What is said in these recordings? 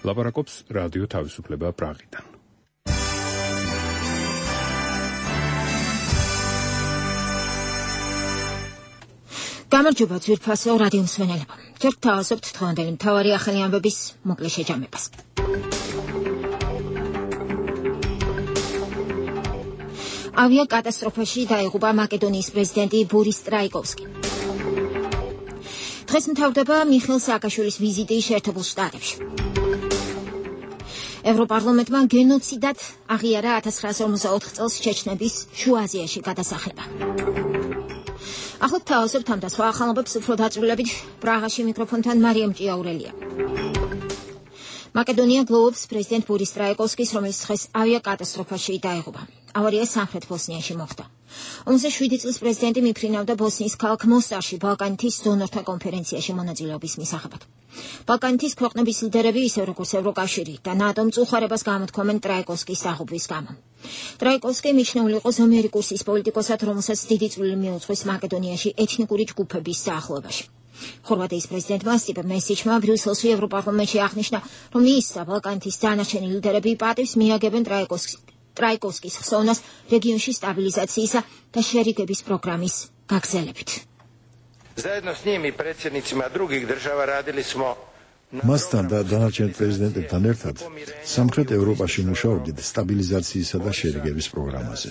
ლაპარაკობს რადიო თავისუფლება პრაღიდან. გამარჯობა ძვირფასო რადიო მსმენელებო. ჯერ გთავაზობთ დღევანდელი მთავარი ახალი ამბების მოკლე შეჯამებას. ავიაკატასტროფაში დაიღუპა მაკედონიის პრეზიდენტი ბორის ტრაიკოვსკი. დღეს მთავრდება მიხეილ სააკაშვილის ვიზიტი შეერთებულ შტატებში. ევროპარლამენტმა გენოციდად აღიარა 1954 წელს ჩეჩნების შუა აზიაში გადასახლება. ახლა თავაზობთ ამ და სხვა ახალობებს უფრო დაწვრილებით პრაღაში მიკროფონთან მარიამ ჭიაურელია. მაკედონია გლოვობს პრეზიდენტ ბორის ტრაიკოვსკის, რომელიც დღეს ავიაკატასტროფაში დაიღუპა. ავარია სამხრეთ ბოსნიაში მოხდა. 57 წლის პრეზიდენტი მიფრინავდა ბოსნიის ქალაქ მოსტარში ბალკანეთის დონორთა კონფერენციაში მონაწილეობის მისაღებად. ბალკანეთის ქვეყნების ლიდერები, ისე როგორც ევროკავშირი და ნატო მწუხარებას გამოთქვამენ ტრაიკოვსკის დაღუპვის გამო. ტრაიკოვსკი მიჩნეული იყო ზომიერი კურსის პოლიტიკოსად, რომელსაც დიდი წვლილი მიუძღვის მაკედონიაში ეთნიკური ჯგუფების დაახლოებაში. ხორვატიის პრეზიდენტმა სტიპე მესიჩმა ბრიუსელში ევროპარლამენტში აღნიშნა, რომ ის და ბალკანეთის დანარჩენი ლიდერები პატივს მიაგებენ ტრაიკოვსკის ხსოვნას რეგიონში სტაბილიზაციისა და შერიგების პროგრამის გაგრძელებით. Zajedno s njim i predsjednicima drugih država radili smo მასთან და დანარჩენ პრეზიდენტებთან ერთად სამხრეთ ევროპაში მუშაობდით სტაბილიზაციისა და შერიგების პროგრამაზე.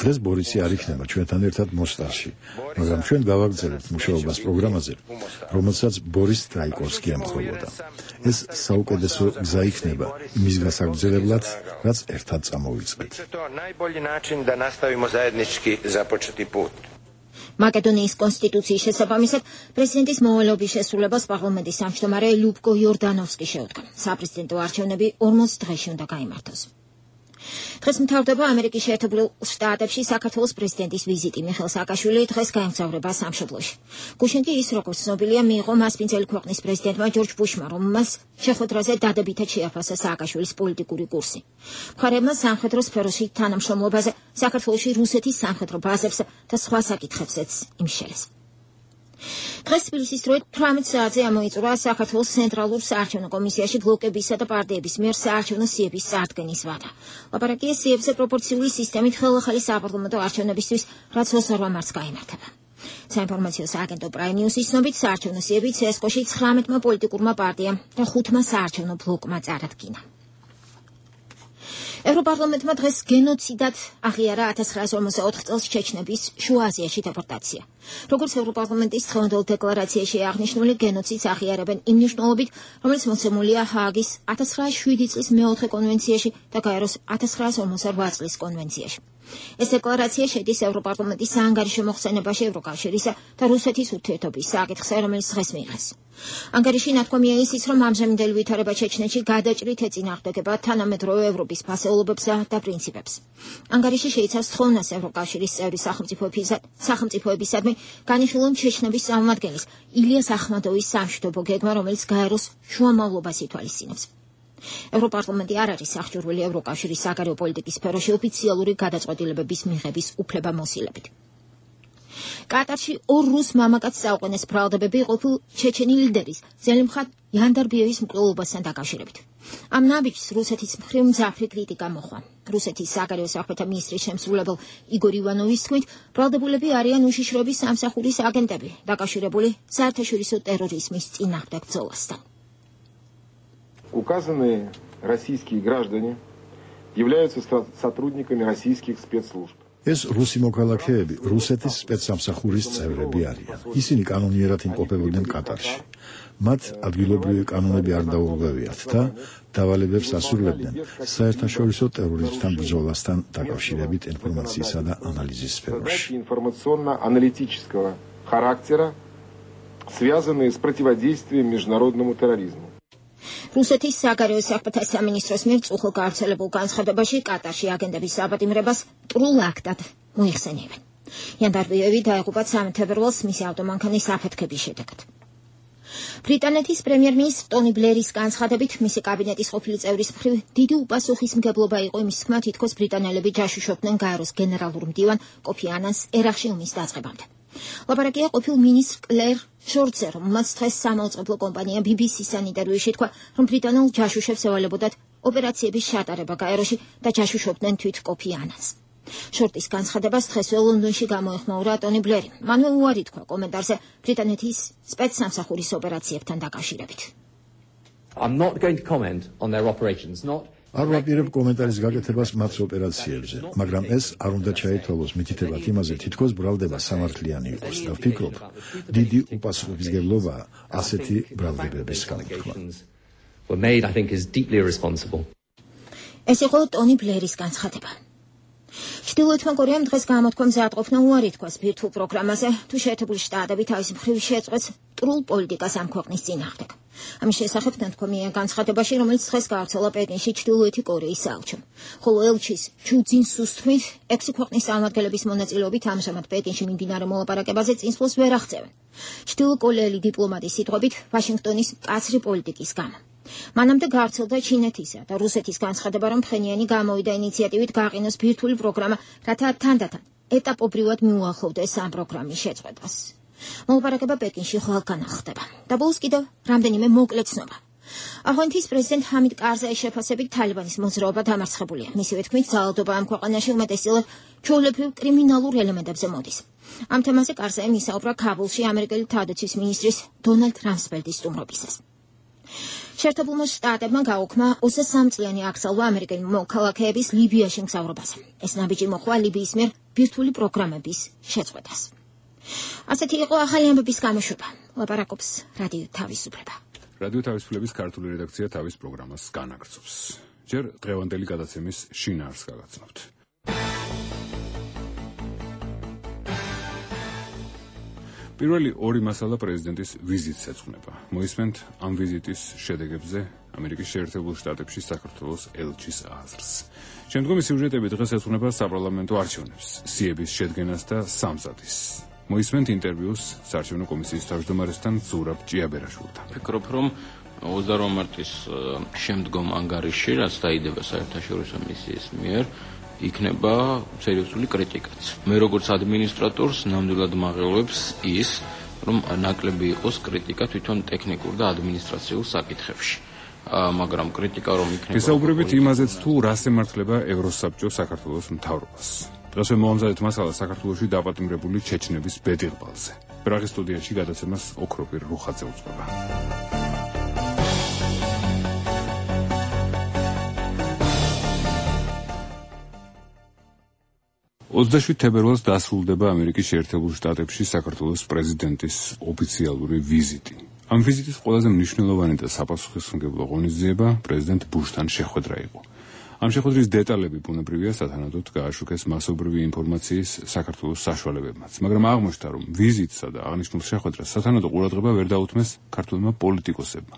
დღეს ბორისი არ იქნება ჩვენთან ერთად მოსტარში, მაგრამ ჩვენ გავაგრძელებთ მუშაობას პროგრამაზე, რომელსაც ბორის ტრაიკოვსკი ემხრობოდა. ეს საუკეთესო გზა იქნება იმის გასაგრძელებლად, რაც ერთად წამოვიწყეთ. მაკედონიის კონსტიტუციის შესაბამისად პრეზიდენტის მოვალეობის შესრულებას პარლამენტის თავმჯდომარე ლუბკო იორდანოვსკი შეუდგა. საპრეზიდენტო არჩევნები 40 დღეში უნდა გაიმართოს. დღეს მთავრდება ამერიკის შეერთებულ შტატებში საქართველოს პრეზიდენტის ვიზიტი. მიხეილ სააკაშვილი დღეს გაემგზავრება სამშობლოში. გუშინ კი ის, როგორც ცნობილია, მიიღო მასპინძელი ქვეყნის პრეზიდენტმა ჯორჯ ბუშმა, რომელმაც შეხვედრაზე დადებითად შეაფასა სააკაშვილის პოლიტიკური კურსი. მხარეებმა სამხედრო სფეროში თანამშრომლობაზე, საქართველოში რუსეთის სამხედრო ბაზებზე და სხვა საკითხებზეც იმშელეს. დღეს თბილისის დროით 18 საათზე ამოიწურა საქართველოს ცენტრალურ საარჩევნო კომისიაში ბლოკებისა და პარტიების მიერ საარჩევნო სიების წარდგენის ვადა. ლაპარაკია სიებზე პროპორციული სისტემით ხელახალი საპარლამენტო არჩევნებისთვის, რაც 22 მარტს გაიმართება. საინფორმაციო სააგენტო პრაიმ ნიუსის ცნობით საარჩევნო სიები ცესკოში 19-მა პოლიტიკურმა პარტიამ და 5-მა საარჩევნო ბლოკმა წარადგინა. ევროპარლამენტმა დღეს გენოციდად აღიარა 1954 წელს ჩეჩნების შუა აზიაში დეპორტაცია. როგორც ევროპარლამენტის დღევანდელ დეკლარაციაში აღნიშნული, გენოციდს აღიარებენ იმ მნიშვნელობით, რომელიც მოცემულია ჰააგის 1907 წლის მეოთხე კონვენციაში და გაეროს 1958 წლის კონვენციაში. ეს დეკლარაცია შედის ევროპარლამენტის საანგარიშო მოხსენებაში ევროკავშირისა და რუსეთის ურთიერთობის საკითხზე, რომელიც დღეს მიიღეს. ანგარიში ნათქვამია ისიც, რომ ამჟამინდელი ვითარება ჩეჩნეთში გადაჭრით ეწინააღმდეგება თანამედროვე ევროპის ფასეულობებსა და პრინციპებს. ანგარიში შეიცავს თხოვნას ევროკავშირის წევრი სახელმწიფოებისადმი განიხილონ ჩეჩნების წარმომადგენლის ილიას ახმადოვის სამშვიდობო გეგმა, რომელიც გაეროს შუამავლობას ითვალისწინებს. ევროპარლამენტი არ არის აღჭურვილი ევროკავშირის საგარეო პოლიტიკის სფეროში ოფიციალური გადაწყვეტილებების მიღების უფლებამოსილებით. კატარში ორ რუს მამაკაცს წაუყენეს ბრალდებები ყოფილ ჩეჩენი ლიდერის ზელიმხან იანდარბიევის მკვლელობასთან დაკავშირებით. ამ ნაბიჯს რუსეთის მხრივ მძაფრი კრიტიკა მოჰყვა. რუსეთის საგარეო საქმეთა მინისტრის შემსრულებელ იგორ ივანოვის თქმით, ბრალდებულები арიან უშიშროების სამსახურის აგენტები, დაკავშირებული საერთაშორისო ტერორიზმის წინააღმდეგ ბრძოლასთან. Указанные российские граждане являются сотрудниками российских спецслужб. ეს რუსი მოქალაქეები რუსეთის სპეცსამსახურის წევრები არიან. ისინი კანონიერად იმყოფებოდნენ კატარში. მათ ადგილობრივი კანონები არ დაურღვევიათ და დავალებებს ასრულებდნენ საერთაშორისო ტერორიზმთან ბრძოლასთან დაკავშირებით ინფორმაციისა და ანალიზის სფეროში. Информационно-аналитического характера, связанные с противодействием международному терроризму. რუსეთის საგარეო საქმეთა სამინისტროს მიერ წუხილ გავრცელებულ განცხადებაში კატარში აგენტების აბატიმრებას ტრულ აქტად მოიხსენიებენ. იანდარბიევი დაიღუპა 13 თებერვალს მისი ავტომანქანის აფეთქების შედეგად. ბრიტანეთის პრემიერ-მინისტრ ტონი ბლერის განცხადებით, მისი კაბინეტის ყოფილი წევრის მხრივ დიდი უპასუხისმგებლობა იყო იმის თქმა, თითქოს ბრიტანელები ჯაშუშობდნენ გაეროს გენერალურ მდივან კოფი ანანს ერაყში ომის დაწყებამდე. ლაპარაკია ყოფილ მინისტრ კლერ შორტზე, რომელმაც დღეს სამაუწყებლო კომპანია BBC-ს ინტერვიუში თქვა, რომ ბრიტანულ ჯაშუშებს ევალებოდათ ოპერაციების შეტარება გაეროში და ჯაშუშობდნენ თვით კოფი ანანს. შორტის განცხადებას დღესვე ლონდონში გამოეხმაურა ტონი ბლერი. მანვე უარი თქვა კომენტარზე ბრიტანეთის სპეცსამსახურის ოპერაციებთან დაკავშირებით. I'm not going to comment on their operations, not არ ვაპირებ კომენტარის გაკეთებას მათ ოპერაციებზე, მაგრამ ეს არ უნდა ჩაითვალოს მითითებად იმაზე, თითქოს ბრალდება სამართლიანი იყოს და ვფიქრობ, დიდი უპასუხისმგებლობაა ასეთი ბრალდებების გამოთქმა. ეს იყო ტონი ბლერის განცხადება. ჩრდილოეთმა კორეამ დღეს გამოთქვა მზადყოფნა უარი თქვას ბირთვულ პროგრამაზე, თუ შეერთებული შტატები თავის მხრივ შეწყვეტს მტრულ პოლიტიკას ამ ქვეყნის წინააღმდეგ. ამის შესახებ ნათქვამია განცხადებაში, რომელიც დღეს გავრცელა პეკინში ჩრდილოეთი კორეის საელჩომ. ხოლო ელჩის ჩუ ძინსუს თქმით, 6 ქვეყნის წარმომადგენლების მონაწილეობით ამჟამად პეკინში მიმდინარე მოლაპარაკებაზე წინსვლას ვერ აღწევენ. ჩრდილოკორეელი დიპლომატის სიტყვებით, ვაშინგტონის მკაცრი პოლიტიკის გამო. მანამდე გავრცელდა ჩინეთისა და რუსეთის განცხადება, რომ ფხენიანი გამოვიდა ინიციატივით გაყინოს ბირთვული პროგრამა, რათა თანდათან ეტაპობრივად მიუახლოვდეს ამ პროგრამის შეწყვეტას. მოლაპარაკება პეკინში ხვალგან ხდება. და ბოლოს კიდევ რამდენიმე მოკლე ცნობა. აღნიშნვის პრეზიდენტ ჰამიდ კარზაის შეფასებით თალიბანის მოძრაობა დამარცხებულია. მისივე თქმით, ძალადობა ამ ქვეყანაში უმეტესწილად ჩვეულებრივ კრიმინალურ ელემენტებზე მოდის. ამ თემაზე კარზაიმ ისაუბრა ქაბულში ამერიკელი თავდაცვის მინისტრის დონალდ რამსფელდის სტუმრობისას. შეერთებულმა შტატებმა გაუქმა 23 წლიანი აკრძალვა ამერიკელი მოქალაქეების ლიბიაში მგზავრობაზე. ეს ნაბიჯი მოხდა ლიბიის მიერ ბირთვული პროგრამების შეწყვეტას. ასეთი იყო ახალი ამბების გამოშვება. ლაპარაკობს რადიო თავისუფლება. რადიო თავისუფლების ქართული რედაქცია თავის პროგრამას განაგრძობს. ჯერ დღევანდელი გადაცემის შინაარსს გაგაცნობთ. პირველი ორი მასალა პრეზიდენტის ვიზიტს ეძღვნება. მოისმენთ ამ ვიზიტის შედეგებზე ამერიკის შეერთებულ შტატებში საქართველოს ელჩის აზრს. შემდგომი სიუჟეტები დღეს ეძღვნება საპარლამენტო არჩევნებს, სიების შედგენას და სამზადისს. მოისმენთ ინტერვიუს საარჩევნო კომისიის თავმჯდომარესთან ზურაბ ჭიაბერაშვილთან. ვფიქრობ, რომ 28 მარტის შემდგომ ანგარიში, რაც დაიდება საერთაშორისო მისიის მიერ, იქნება სერიოზული კრიტიკაც. მე როგორც ადმინისტრატორს ნამდვილად მაღელვებს ის, რომ ნაკლები იყოს კრიტიკა თვითონ ტექნიკურ და ადმინისტრაციულ საკითხებში. მაგრამ კრიტიკა რომ იქნება. ვისაუბრებით იმაზეც, თუ რას ემართლება ევროსაბჭო საქართველოს მთავრობას. დღესვე მოვამზადეთ მასალა საქართველოში დაპატიმრებული ჩეჩნების ბედიღბალზე. პრაღის სტუდიაში გადაცემას ოქროპირ რუხაძე უძღვება. 27 თებერვალს დასრულდება ამერიკის შეერთებულ შტატებში საქართველოს პრეზიდენტის ოფიციალური ვიზიტი. ამ ვიზიტის ყველაზე მნიშვნელოვანი და საპასუხისმგებლო ღონისძიება პრეზიდენტ ბუშთან შეხვედრა იყო. ამ შეხვედრის დეტალები ბუნებრივია სათანადოდ გააშუქეს მასობრივი ინფორმაციის საქართველოს საშუალებებმაც, მაგრამ აღმოჩნდა, რომ ვიზიტსა და აღნიშნულ შეხვედრას სათანადო ყურადღება ვერ დაუთმეს ქართველმა პოლიტიკოსებმა,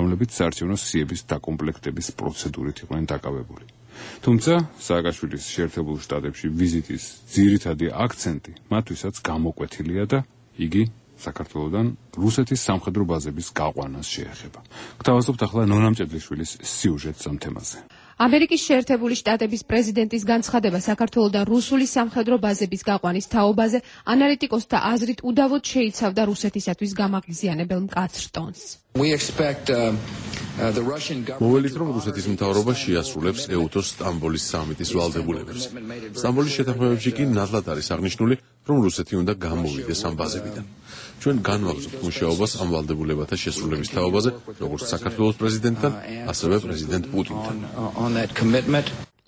რომლებიც საარჩევნო სიების დაკომპლექტების პროცედურით იყვნენ დაკავებული. თუმცა სააკაშვილის შეერთებულ შტატებში ვიზიტის ძირითადი აქცენტი მათთვისაც გამოკვეთილია და იგი საქართველოდან რუსეთის სამხედრო ბაზების გაყვანას შეეხება. გთავაზობთ ახლა ნონა მჭედლიშვილის სიუჟეტს ამ თემაზე. ამერიკის შეერთებული შტატების პრეზიდენტის განცხადება საქართველოდან რუსული სამხედრო ბაზების გაყვანის თაობაზე ანალიტიკოსთა აზრით უდავოდ შეიცავდა რუსეთისათვის გამაღიზიანებელ მკაცრ ტონს. მოველით, რომ რუსეთის მთავრობა შეასრულებს ეუთოს სტამბოლის სამიტის ვალდებულებებს. სტამბოლის შეთანხმებებში კი ნათლად არის აღნიშნული, რომ რუსეთი უნდა გამოვიდეს ამ ბაზებიდან. ჩვენ განვაგრძობთ მუშაობას ამ ვალდებულებათა შესრულების თაობაზე, როგორც საქართველოს პრეზიდენტთან, ასევე პრეზიდენტ პუტინთან.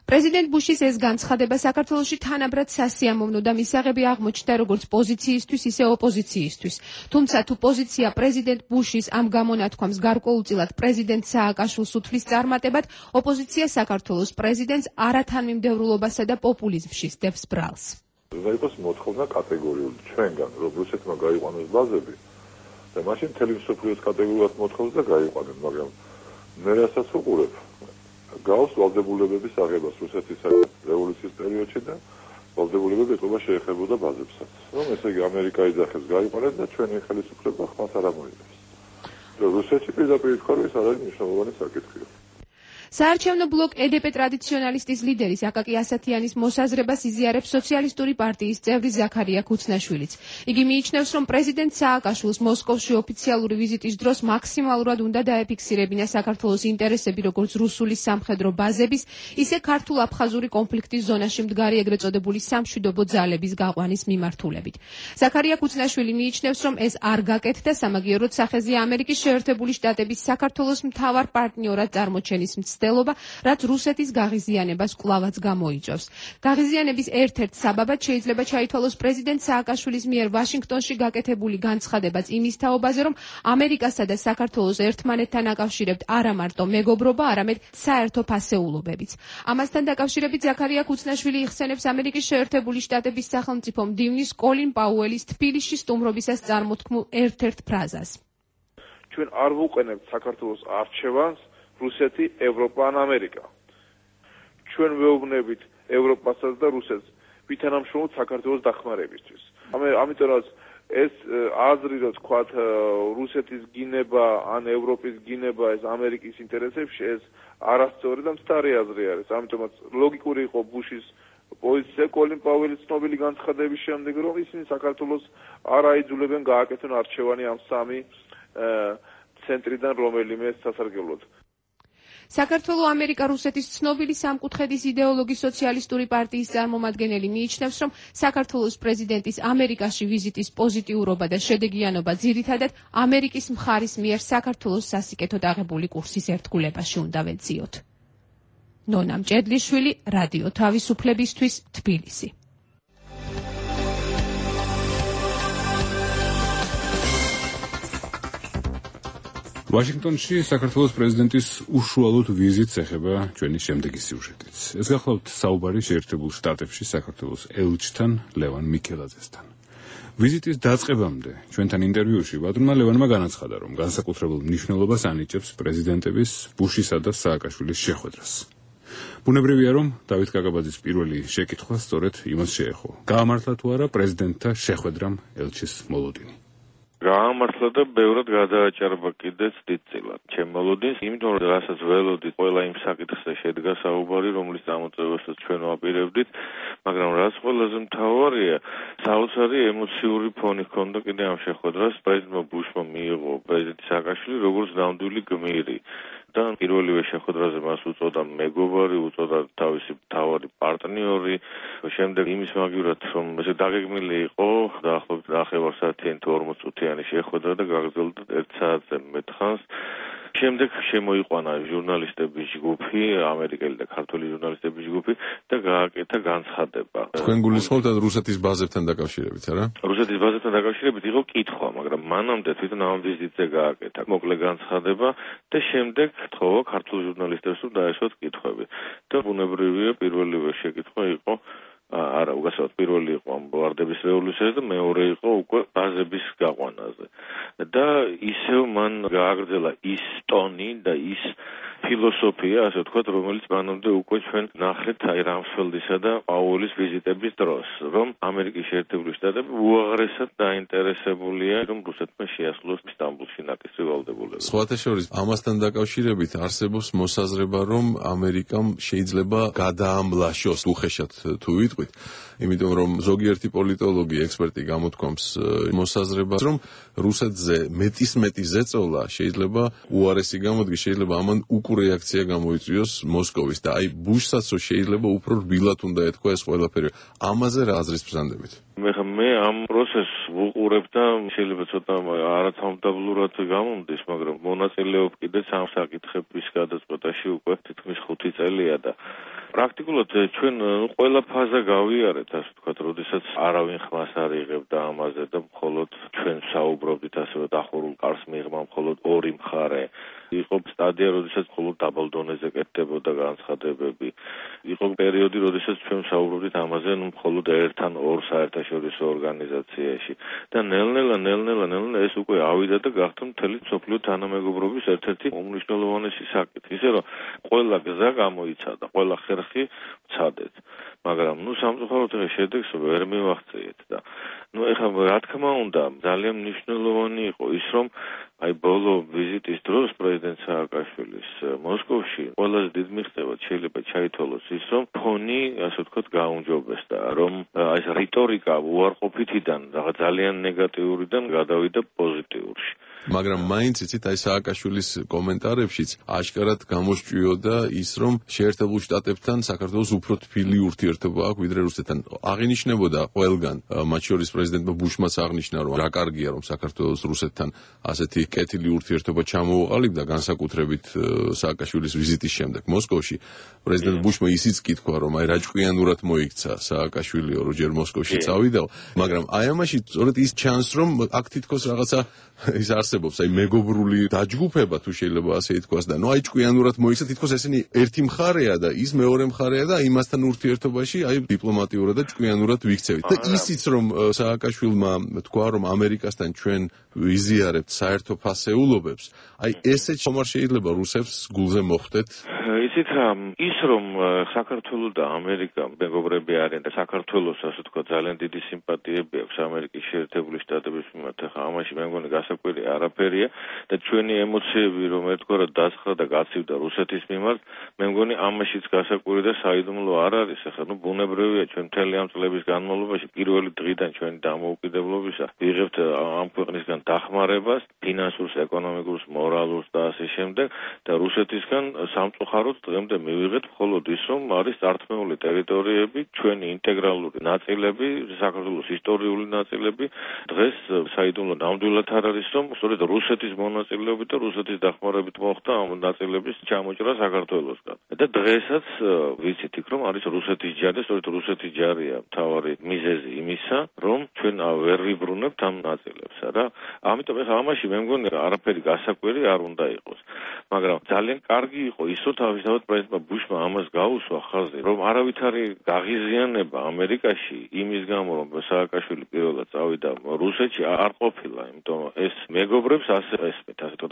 პრეზიდენტ ბუშის ეს განცხადება საქართველოში თანაბრად სასიამოვნო და მისაღები აღმოჩნდა როგორც პოზიციისთვის, ისე ოპოზიციისთვის. თუმცა თუ პოზიცია პრეზიდენტ ბუშის ამ გამონათქვამს გარკვეულწილად პრეზიდენტ სააკაშვილს უთვლის წარმატებად, ოპოზიცია საქართველოს პრეზიდენტს არათანმიმდევრულობასა და პოპულიზმში სდევს ბრალს. უნდა იყოს მოთხოვნა კატეგორიული ჩვენგან, რომ რუსეთმა გაიყვანოს ბაზები და მაშინ მთელი მსოფლიოს კატეგორიულად მოთხოვს და გაიყვანენ, მაგრამ მე რასაც უყურებ, გავს ვალდებულებების აღებას რუსეთის რევოლუციის პერიოდში და ვალდებულებები ეთყობა შეეხებოდა ბაზებსაც. რომ ესე იგი ამერიკა იძახებს გაიყვანეთ და ჩვენი ხელისუფლება ხმას არ ამოიღებს. რუსეთში პირდაპირ თქვა, რომ ეს არის მნიშვნელოვანი საკითხია. საარჩევნო ბლოკ EDP ტრადიციონალისტის ლიდერის აკაკი ასათიანის მოსაზრებას იზიარებს სოციალისტური პარტიის წევრი ზაქარია ქუცნაშვილიც. იგი მიიჩნევს, რომ პრეზიდენტ სააკაშვილს მოსკოვში ოფიციალური ვიზიტის დროს მაქსიმალურად უნდა დაეფიქსირებინა საქართველოს ინტერესები როგორც რუსული სამხედრო ბაზების, ისე ქართულ-აფხაზური კონფლიქტის ზონაში მდგარი ეგრეთ წოდებული სამშვიდობო ძალების გაყვანის მიმართულებით. ზაქარია ქუცნაშვილი მიიჩნევს, რომ ეს არ გაკეთდა სამაგიეროდ სახეზეა ამერიკის შეერთებული შტატების საქართველოს მთავარ პარტნიორად წარმოჩენის მცდელობა, რაც რუსეთის გაღიზიანებას კვლავაც გამოიწვევს. გაღიზიანების ერთ-ერთ საბაბად შეიძლება ჩაითვალოს პრეზიდენტ სააკაშვილის მიერ ვაშინგტონში გაკეთებული განცხადებაც იმის თაობაზე, რომ ამერიკასა და საქართველოს ერთმანეთთან აკავშირებთ არა მარტო მეგობრობა, არამედ საერთო ფასეულობებიც. ამასთან დაკავშირებით ზაქარია ქუცნაშვილი იხსენებს ამერიკის შეერთებული შტატების სახელმწიფო მდივნის კოლინ პაუელის თბილისში სტუმრობისას წარმოთქმულ ერთ-ერთ ფრაზას. ჩვენ არ ვუყენებთ საქართველოს არჩევანს რუსეთი, ევროპა ან ამერიკა. ჩვენ ვეუბნებით ევროპასაც და რუსეთს ვითანამშრომლობთ საქართველოს დახმარებისთვის. ამიტომაც ეს აზრი, რომ თქვათ რუსეთის გინება ან ევროპის გინება ეს ამერიკის ინტერესებში, ეს არასწორი და მცდარი აზრი არის. ამიტომაც ლოგიკური იყო ბუშის პოზიცია კოლინ პაუელის ცნობილი განცხადების შემდეგ, რომ ისინი საქართველოს არ აიძულებენ გააკეთონ არჩევანი ამ სამი ცენტრიდან რომელიმე სასარგებლოდ. საქართველო ამერიკა-რუსეთის ცნობილი სამკუთხედის იდეოლოგი სოციალისტური პარტიის წარმომადგენელი მიიჩნევს, რომ საქართველოს პრეზიდენტის ამერიკაში ვიზიტის პოზიტიურობა და შედეგიანობა ძირითადად ამერიკის მხარის მიერ საქართველოს სასიკეთოდ აღებული კურსის ერთგულებაში უნდა ვეძიოთ. ნონა მჭედლიშვილი, რადიო თავისუფლებისთვის, თბილისი. ვაშინგტონში საქართველოს პრეზიდენტის უშუალოდ ვიზიტს ეხება ჩვენი შემდეგი სიუჟეტიც. ეს გახლავთ საუბარი შეერთებულ შტატებში საქართველოს ელჩთან ლევან მიქელაძესთან. ვიზიტის დაწყებამდე ჩვენთან ინტერვიუში ბატონმა ლევანმა განაცხადა, რომ განსაკუთრებულ მნიშვნელობას ანიჭებს პრეზიდენტების ბუშისა და სააკაშვილის შეხვედრას. ბუნებრივია, რომ დავით კაკაბაძის პირველი შეკითხვა სწორედ იმას შეეხო. გაამართლა თუ არა პრეზიდენტთა შეხვედრამ ელჩის მოლოდინი? გაამართლა და ბევრად გადააჭარბა კიდეც დიდწილად. ჩემ მოლოდინს, იმიტომ რომ რასაც ველოდით, ყველა იმ საკითხზე შედგა საუბარი, რომლის წამოწევასაც ჩვენ ვაპირებდით, მაგრამ რაც ყველაზე მთავარია, საოცარი ემოციური ფონი ჰქონდა კიდე ამ შეხვედრას. პრეზიდენტმა ბუშმა მიიღო პრეზიდენტი სააკაშვილი როგორც ნამდვილი გმირი. და პირველივე შეხვედრაზე მას უწოდა მეგობარი, უწოდა თავისი მთავარი პარტნიორი. შემდეგ იმის მაგივრად, რომ ესე დაგეგმილი იყო დაახლოებით 9 საათიანი თუ 40 წუთიანი შეხვედრა და გაგრძელდა 1 საათზე მეტ ხანს. შემდეგ შემოიყვანა ჟურნალისტების ჯგუფი, ამერიკელი და ქართველი ჟურნალისტების ჯგუფი და გააკეთა განცხადება. თქვენ გულისხმობთ რუსეთის ბაზებთან დაკავშირებით, არა? რუსეთის ბაზებთან დაკავშირებით იყო კითხვა, მაგრამ მანამდე თვითონ ამ ვიზიტზე გააკეთა მოკლე განცხადება და შემდეგ თხოვა ქართულ ჟურნალისტებს რომ დაეშვათ კითხვები. და ბუნებრივია პირველივე შეკითხვა იყო არა, უგასავთ პირველი იყო ამ ვარდების რევოლუციაზე და მეორე იყო უკვე ბაზების გაყვანაზე. და ისევ მან გააგრძელა ის ტონი და ის ფილოსოფია, ასე ვთქვათ, რომელიც მანამდე უკვე ჩვენ ნახეთ აი რამსფელდისა და პაუელის ვიზიტების დროს, რომ ამერიკის შეერთებული შტატები უაღრესად დაინტერესებულია, რომ რუსეთმა შეასრულოს სტამბოლში ნაკისრი ვალდებულება. სხვათა შორის, ამასთან დაკავშირებით არსებობს მოსაზრება, რომ ამერიკამ შეიძლება გადაამლაშოს უხეშად თუ ვიტყვით, იმიტომ რომ ზოგიერთი პოლიტოლოგი, ექსპერტი გამოთქვამს მოსაზრებას, რომ რუსეთზე მეტი ზეწოლა შეიძლება უარესი გამოდგეს, შეიძლება ამან უკურეაქცია გამოიწვიოს მოსკოვის და აი ბუშსაც შეიძლება უფრო რბილად უნდა ეთქვა ეს ყველაფერი. ამაზე რა აზრის ბრძანდებით? მე ამ პროცესს ვუყურებ და შეიძლება ცოტა არათანმდაბლურად გამომდის, მაგრამ მონაწილეობ კიდეც ამ საკითხების გადაწყვეტაში უკვე თითქმის 5 წელია და პრაქტიკულად ჩვენ ყველა ფაზა გავიარეთ, ასე ვთქვათ, როდესაც არავინ ხმას არ იღებდა ამაზე და მხოლოდ ჩვენ საუბრობდით ასევე დახურულ კარს მიღმა მხოლოდ ორი მხარე. იყო სტადია, როდესაც მხოლოდ დაბალ დონეზე კეთდებოდა განცხადებები. იყო პერიოდი, როდესაც ჩვენ საუბრობდით ამაზე მხოლოდ ერთ-ან ორ საერთაშორისო ორგანიზაციაში. და ნელ-ნელა ეს უკვე ავიდა და გახდა მთელი მსოფლიო თანამეგობრობის ერთ-ერთი უმნიშვნელოვანესი საკითხი. ისე რომ ყველა გზა გამოიცადა, ყველა ხერხი ვცადეთ. მაგრამ სამწუხაროდ შედეგს ვერ მივაღწიეთ და ეხლა რა თქმა უნდა ძალიან მნიშვნელოვანი იყო ის რომ აი ბოლო ვიზიტის დროს პრეზიდენტ სააკაშვილის მოსკოვში მოსკოვში ყველაზე დიდ მიღწევად შეიძლება ჩაითვალოს ის, რომ ფონი, ასე ვთქვათ, გაუმჯობესდა, რომ ეს რიტორიკა უარყოფითიდან რაღაც ძალიან ნეგატიურიდან გადავიდა პოზიტიურში. მაგრამ მაინც იცით, აი სააკაშვილის კომენტარებშიც აშკარად გამოსჭვიოდა ის, რომ შეერთებულ შტატებთან საქართველოს უფრო თბილი ურთიერთობა აქვს ვიდრე რუსეთთან. აღინიშნებოდა ყველგან, მათ შორის პრეზიდენტმა ბუშმაც აღნიშნა, რომ რა კარგია, რომ საქართველოს რუსეთთან ასეთი კეთილი ურთიერთობა ჩამოუყალიბდა, განსაკუთრებით სააკაშვილის ვიზიტის შემდეგ მოსკოვში. პრეზიდენტ ბუშმა ისიც კი თქვა, რომ აი რა ჭკვიანურად მოიქცა სააკაშვილიო, რომ ჯერ მოსკოვში წავიდაო, მაგრამ აი ამაში სწორედ ის ჩანს, რომ აქ თითქოს რაღაცა ის არსებობს, აი მეგობრული დაჯგუფება თუ შეიძლება ასე ითქვას და ნუ აი ჭკვიანურად მოიქცა, თითქოს ესენი ერთი მხარეა და ის მეორე მხარეა და იმასთან ურთიერთობაში აი დიპლომატიურად და ჭკვიანურად ვიქცევით. და ისიც რომ სააკაშვილმა თქვა, რომ ამერიკასთან ჩვენ ვიზიარებთ საერთო ფასეულობებს, აი ესეც ხომ არ შეიძლება რუსებს გულზე მოხვდეთ? იცით რა, ის რომ საქართველო და ამერიკა მეგობრები არიან და საქართველოს ასე თქვა ძალიან დიდი სიმპათიები აქვს ამერიკის შეერთებული შტატების მიმართ, ხა ამაში მე მგონი გასაკვირი არაფერია და ჩვენი ემოციები რომ ერთგვარად დასხრა და გაცივდა რუსეთის მიმართ, მე მგონი ამაშიც გასაკვირი და საიდუმლო არ არის. ხა ნუ ბუნებრივია ჩვენ მთელი ამ წლების განმავლობაში პირველი დღიდან ჩვენი დამოუკიდებლობისა ვიღებთ ამ ქვეყნისგან დახმარებას, ფინანსურს, ეკონომიკურს, მორალურს და ასე შემდეგ და რუსეთისგან სამწუხაროდ დღემდე მივიღეთ მხოლოდ ის, რომ არის წართმეული ტერიტორიები, ჩვენი ინტეგრალური ნაწილები, საქართველოს ისტორიული ნაწილები, დღეს საიდუმლო ნამდვილად არ არის, რომ სწორედ რუსეთის მონაწილეობით და რუსეთის დახმარებით მოხდა ამ ნაწილების ჩამოჭრა საქართველოსგან. და დღესაც ვიცით იქ, რომ არის რუსეთის ჯარი, სწორედ რუსეთის ჯარია მთავარი მიზეზი იმისა, რომ ჩვენ ვერ ვიბრუნებთ ამ ნაწილებს, რა. ამიტომ ეხლა ამაში მე მგონი არაფერი გასაკვირი არ უნდა იყოს. მაგრამ ძალიან კარგი იყო ის, რომ თავისთავად პრეზიდენტმა ბუშმა ამას გაუსვა ხაზი, რომ არავითარი გაღიზიანება ამერიკაში იმის გამო, რომ სააკაშვილი პირველად წავიდა რუსეთში არ ყოფილა, იმიტომ რომ ეს მეგობრებს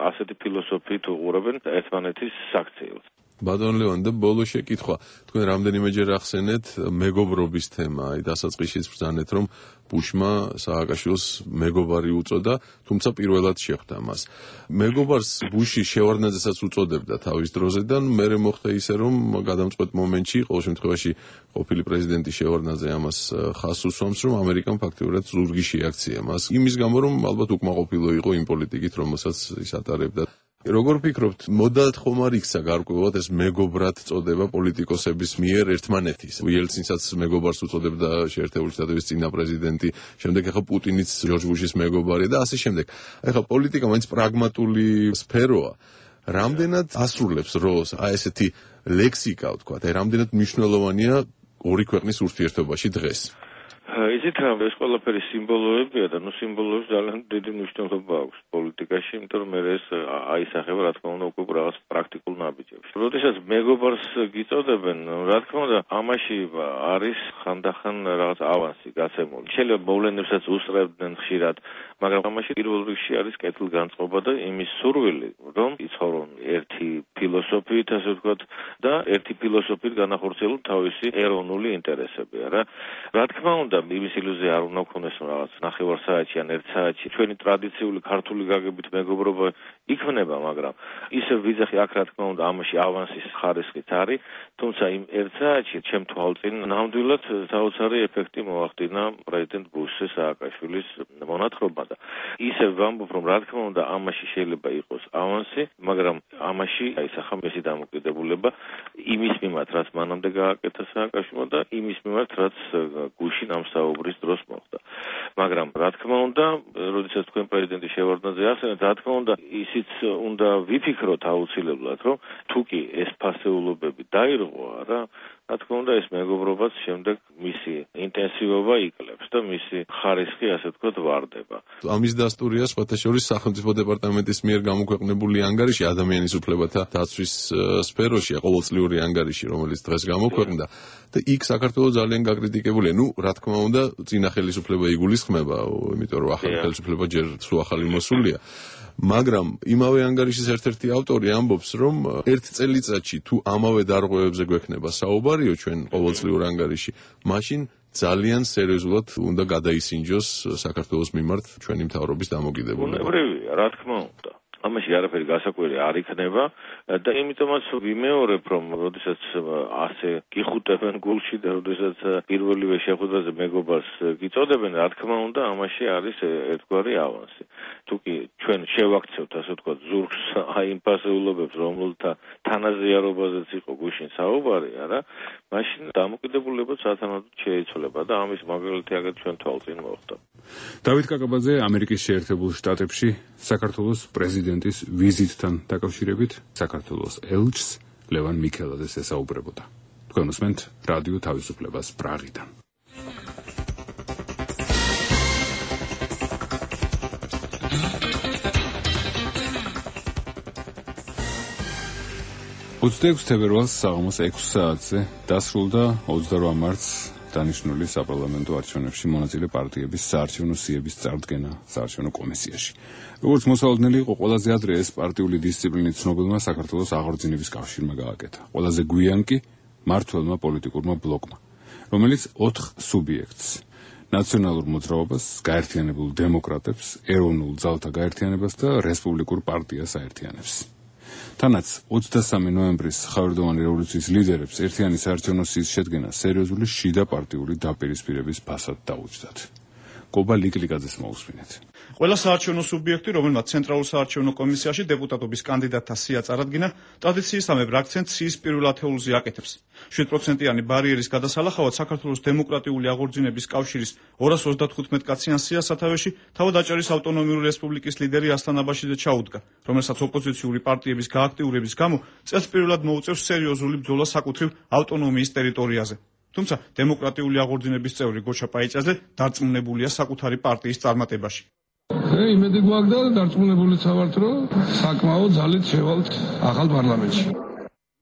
ასეთი ფილოსოფიით უყურებენ ერთმანეთის საქციელს. ბატონ ლევან და ბოლო შეკითხვა, თქვენ რამდენიმეჯერ ახსენეთ მეგობრობის თემა, აი დასაწყისშიც ბრძანეთ, რომ ბუშმა სააკაშვილს მეგობარი უწოდა, თუმცა პირველად შეხვდა მას. მეგობარს ბუში შევარდნაძესაც უწოდებდა თავის დროზე და მერე მოხდა ისე, რომ გადამწყვეტ მომენტში, ყოველ შემთხვევაში ყოფილი პრეზიდენტი შევარდნაძე ამას ხაზს უსვამს, რომ ამერიკამ ფაქტიურად ზურგი შეაქცია მას. იმის გამო, რომ ალბათ უკმაყოფილო იყო იმ პოლიტიკით, რომელსაც ის ატარებდა. როგორ ფიქრობთ, მოდად ხომ არ იქცა გარკვეულად ეს მეგობრად წოდება პოლიტიკოსების მიერ ერთმანეთის? იელცინსაც მეგობარს უწოდებდა შეერთებული შტატების წინა პრეზიდენტი, შემდეგ ახლა პუტინიც ჯორჯ ბუშის მეგობარია და ასე შემდეგ. ახლა პოლიტიკა მაინც პრაგმატული სფეროა. რამდენად ასრულებს როლს აი ესეთი ლექსიკა, ვთქვათ, აი რამდენად მნიშვნელოვანია ორი ქვეყნის ურთიერთობაში დღეს? იცით რა, ეს ყველაფერი სიმბოლოებია და ნუ სიმბოლოებს ძალიან დიდი მნიშვნელობა აქვს პოლიტიკაში, იმიტომ რომ ეს აისახება რა თქმა უნდა უკვე რაღაც პრაქტიკულ ნაბიჯებში. როდესაც მეგობარს გიწოდებენ, რა თქმა უნდა, ამაში არის ხანდახან რაღაც ავანსი გაცემული. შეიძლება მოვლენებსაც უსწრებდნენ ხშირად, მაგრამ ამაში პირველ რიგში არის კეთილგანწყობა და იმის სურვილი, რომ იცხოვრონ ერთი ფილოსოფიით, ასე ვთქვათ, და ერთი ფილოსოფიით განახორციელონ თავისი ეროვნული ინტერესები, რა. რა თქმა უნდა, იმის ილუზია არ უნდა გქონდეს რაღაც ნახევარსაათში ან ერთ საათში ჩვენი ტრადიციული ქართული გაგებით მეგობრობა იქმნება, მაგრამ ისევ ვიძახი აქ რა თქმა უნდა ამაში ავანსის ხარისხით არის, თუმცა იმ ერთ საათში ჩემ თვალწინ ნამდვილად საოცარი ეფექტი მოახდინა პრეზიდენტ ბუშის სააკაშვილის მონათხრობა და ისევ ვამბობ, რომ რა თქმა უნდა ამაში შეიძლება იყოს ავანსი, მაგრამ ამაში აისახა მისი დამოკიდებულება იმის მიმართ, რაც მანამდე გააკეთა სააკაშვილმა და იმის მიმართ, რაც გუშინ ამ საუბრის დროს მოხდა. მაგრამ რა თქმა უნდა, როდესაც თქვენ პრეზიდენტი შევარდნაძე ახსენეთ, რა თქმა უნდა, ისიც უნდა ვიფიქროთ აუცილებლად, რომ თუ კი ეს ფასეულობები დაირღვა რა, რა თქმა უნდა ეს მეგობრობაც შემდეგ მისი ინტენსივობა იკლებს და მისი ხარისხი ასე ვთქვათ ვარდება. ამის დასტურია სხვათა შორის სახელმწიფო დეპარტამენტის მიერ გამოქვეყნებული ანგარიში ადამიანის უფლებათა დაცვის სფეროში, ყოველწლიური ანგარიში, რომელიც დღეს გამოქვეყნდა და იქ საქართველოს ძალიან გაკრიტიკებულია. ნუ რა თქმა უნდა, წინა ხელისუფლება იგულისხმება, იმიტომ რომ ახალი ხელისუფლება ჯერ სულ ახალი მოსულია. მაგრამ იმავე ანგარიშის ერთ-ერთი ავტორი ამბობს, რომ ერთ წელიწადში თუ ამავე დარღვევებზე გვექნება საუბარიო ჩვენ ყოველწლიურ ანგარიში, მაშინ ძალიან სერიოზულად უნდა გადაისინჯოს საქართველოს მიმართ ჩვენი მთავრობის დამოკიდებულება. ბუნებრივია, რა თქმა უნდა. ამაში არაფერი გასაკვირი არ იქნება და იმიტომაც ვიმეორებ, რომ როდესაც ასე გიხუტებენ გულში და როდესაც პირველივე შეხვედრაზე მეგობარს გიწოდებენ, რა თქმა უნდა, ამაში არის ერთგვარი ავანსი. თუკი ჩვენ შევაქცევთ, ასე ვთქვათ, ზურგს აი იმ ფასეულობებს, რომელთა თანაზიარობაზეც იყო გუშინ საუბარი, არა, მაშინ დამოკიდებულება სათანადოდ შეიცვლება და ამის მაგალითი აგერ ჩვენ თვალწინ მოხდა. დავით კაკაბაძე, ამერიკის შეერთებულ შტატებში საქართველოს პრეზიდენტის ვიზიტთან დაკავშირებით საქართველოს ელჩს ლევან მიქელაძეს ესაუბრებოდა. თქვენ უსმენთ რადიო თავისუფლებას პრაღიდან. თებერვალს საღამოს 6 საათზე დასრულდა 28 მარტს დანიშნული საპარლამენტო არჩევნებში მონაწილე პარტიების საარჩევნო სიების წარდგენა საარჩევნო კომისიაში. როგორც მოსალოდნელი იყო, ყველაზე ადრე ეს პარტიული დისციპლინით ცნობილმა საქართველოს აღორძინების კავშირმა გააკეთა. ყველაზე გვიან კი მმართველმა პოლიტიკურმა ბლოკმა, რომელიც 4 სუბიექტს: ნაციონალურ მოძრაობას, გაერთიანებულ დემოკრატებს, ეროვნულ ძალთა გაერთიანებას და რესპუბლიკურ პარტიას აერთიანებს. თანაც 23 ნოემბრის ხავერდოვანი რევოლუციის ლიდერებს ერთიანი საარჩევნო სიის შედგენა სერიოზული შიდა პარტიული დაპირისპირების ფასად დაუჯდათ. კობა ლიკლიკაძეს მოусმინეთ. ყველა საარჩევნო სუბიექტი, რომელმაც ცენტრალურ საარჩევნო კომისიაში დეპუტატობის კანდიდატთა სია წარადგინა, ტრადიციისამებრ აქცენტს სიის პირველ ათეულზე აკეთებს. 7%-იანი ბარიერის გადასალახავად საქართველოს დემოკრატიული აღორძინების კავშირის 235 კაციან სიას სათავეში თავად აჭარის ავტონომიური რესპუბლიკის ლიდერი ასლან აბაშიძე ჩაუდგა, რომელსაც ოპოზიციური პარტიების გააქტიურების გამო წელს პირველად მოუწევს სერიოზული ბრძოლა საკუთრივ ავტონომიის ტერიტორიაზე. თუმცა დემოკრატიული აღორძინების წევრი გოჩა პაიჭაძე დარწმუნებულია საკუთარი პარტიის წარმატებაში. იმედი გვაქვს და დარწმუნებულიც ვართ, რომ საკმაოდ ძალით შევალთ ახალ პარლამენტში.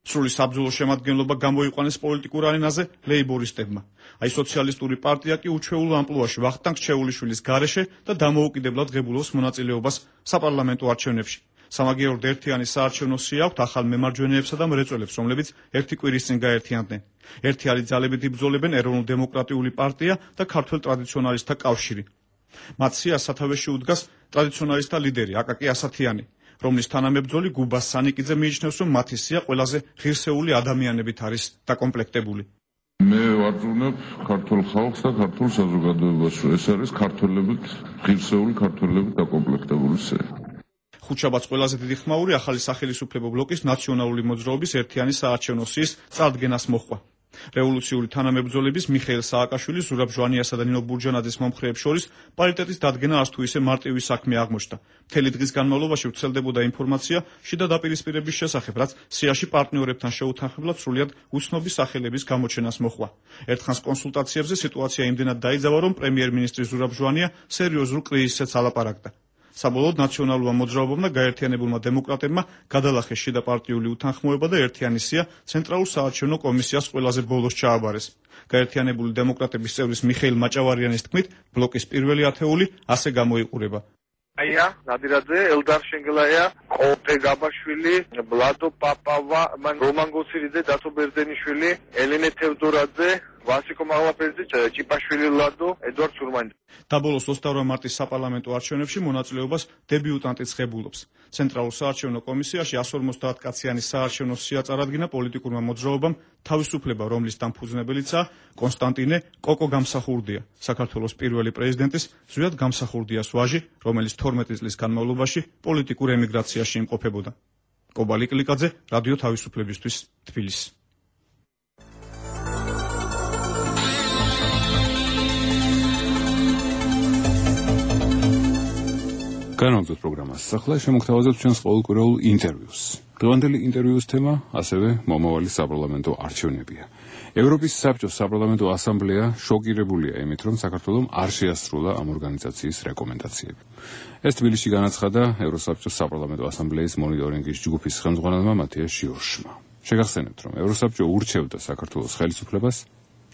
სრული საბრძოლო შემადგენლობა გამოიყვანეს პოლიტიკურ არენაზე ლეიბორისტებმა. აი სოციალისტური პარტია კი უჩვეულ ამპლუაში ვახტანგ ჩეულიშვილის გარეშე და დამოუკიდებლად ღებულობს მონაწილეობას საპარლამენტო არჩევნებში. სამაგიეროდ ერთიანი საარჩევნო სია აქვთ ახალ მემარჯვენეებსა და მრეწველებს, რომლებიც ერთი კვირის წინ გაერთიანდნენ. ერთიანი ძალებით იბრძოლებენ ეროვნულ-დემოკრატიული პარტია და ქართველ ტრადიციონალისტთა კავშირი. მათ სიას სათავეში უდგას ტრადიციონალისტთა ლიდერი აკაკი ასათიანი, რომლის თანამებრძოლი გუბას სანიკიძე მიიჩნევს, რომ მათი სია ყველაზე ღირსეული ადამიანებით არის დაკომპლექტებული. მე ვარწმუნებ ქართულ ხალხს და ქართულ საზოგადოებას, რომ ეს არის ქართველებით, ღირსეული ქართველებით დაკომპლექტებული სია. ხუთშაბათს ყველაზე დიდი ხმაური ახალი სახელმწიფო ბლოკის ნაციონალური მოძრაობის ერთიანი საარჩევნო სიის წარდგენას მოჰყვა. რევოლუციური თანამებრძოლების მიხეილ სააკაშვილის, ზურაბ ჟვანიასა და ნინო ბურჯანაძის მომხრეებს შორის პარიტეტის დადგენა არც თუ ისე მარტივი საქმე აღმოჩნდა. მთელი დღის განმავლობაში ვრცელდებოდა ინფორმაცია შიდა დაპირისპირების შესახებ, რაც სიაში პარტნიორებთან შეუთანხმებლად სრულიად უცნობი სახელების გამოჩენას მოჰყვა. ერთხანს კონსულტაციებზე სიტუაცია იმდენად დაიძაბა, რომ პრემიერ-მინისტრი ზურაბ ჟვანია სერიოზულ კრიზისზეც ალაპარაკდა. საბოლოოდ ნაციონალურმა მოძრაობამ და გაერთიანებულმა დემოკრატებმა გადალახეს შიდა პარტიული უთანხმოება და ერთიანი სია ცენტრალურ საარჩევნო კომისიას ყველაზე ბოლოს ჩააბარეს. გაერთიანებული დემოკრატების წევრის მიხეილ მაჭავარიანის თქმით, ბლოკის პირველი ათეული ასე გამოიყურება. აია, ნადირაძე, ელდარ შენგელაია, ყოყე გაბაშვილი, ბლადო პაპავა, რომან გოცირიძე, დათო ბერძენიშვილი, ელენე თევდორაძე, ვასიკო მაღლაფერძე, ჭიპაშვილი ლადო, ედვარდ სურმანი. დაბოლოს 28 მარტის საპარლამენტო არჩევნებში მონაწილეობას დებიუტანტიც ღებულობს. ცენტრალურ საარჩევნო კომისიაში 150 კაციანი საარჩევნო სია წარადგინა პოლიტიკურმა მოძრაობამ თავისუფლება, რომლის დამფუძნებელიცაა კონსტანტინე კოკო გამსახურდია, საქართველოს პირველი პრეზიდენტის ზვიად გამსახურდიას ვაჟი, რომელიც 12 წლის განმავლობაში პოლიტიკურ ემიგრაციაში იმყოფებოდა. კობა ლიკლიკაძე, რადიო თავისუფლებისთვის, თბილისი. განვაგრძოთ პროგრამას. ახლა შემოგთავაზებთ ჩვენს ყოველკვირეულ ინტერვიუს. დღევანდელი ინტერვიუს თემა ასევე მომავალი საპარლამენტო არჩევნებია. ევროპის საბჭოს საპარლამენტო ასამბლეა შოკირებულია იმით, რომ საქართველომ არ შეასრულა ამ ორგანიზაციის რეკომენდაციები. ეს თბილისში განაცხადა ევროსაბჭოს საპარლამენტო ასამბლეის მონიტორინგის ჯგუფის ხელმძღვანელმა მათიას ჟიორჟმა. შეგახსენებთ, რომ ევროსაბჭო ურჩევდა საქართველოს ხელისუფლებას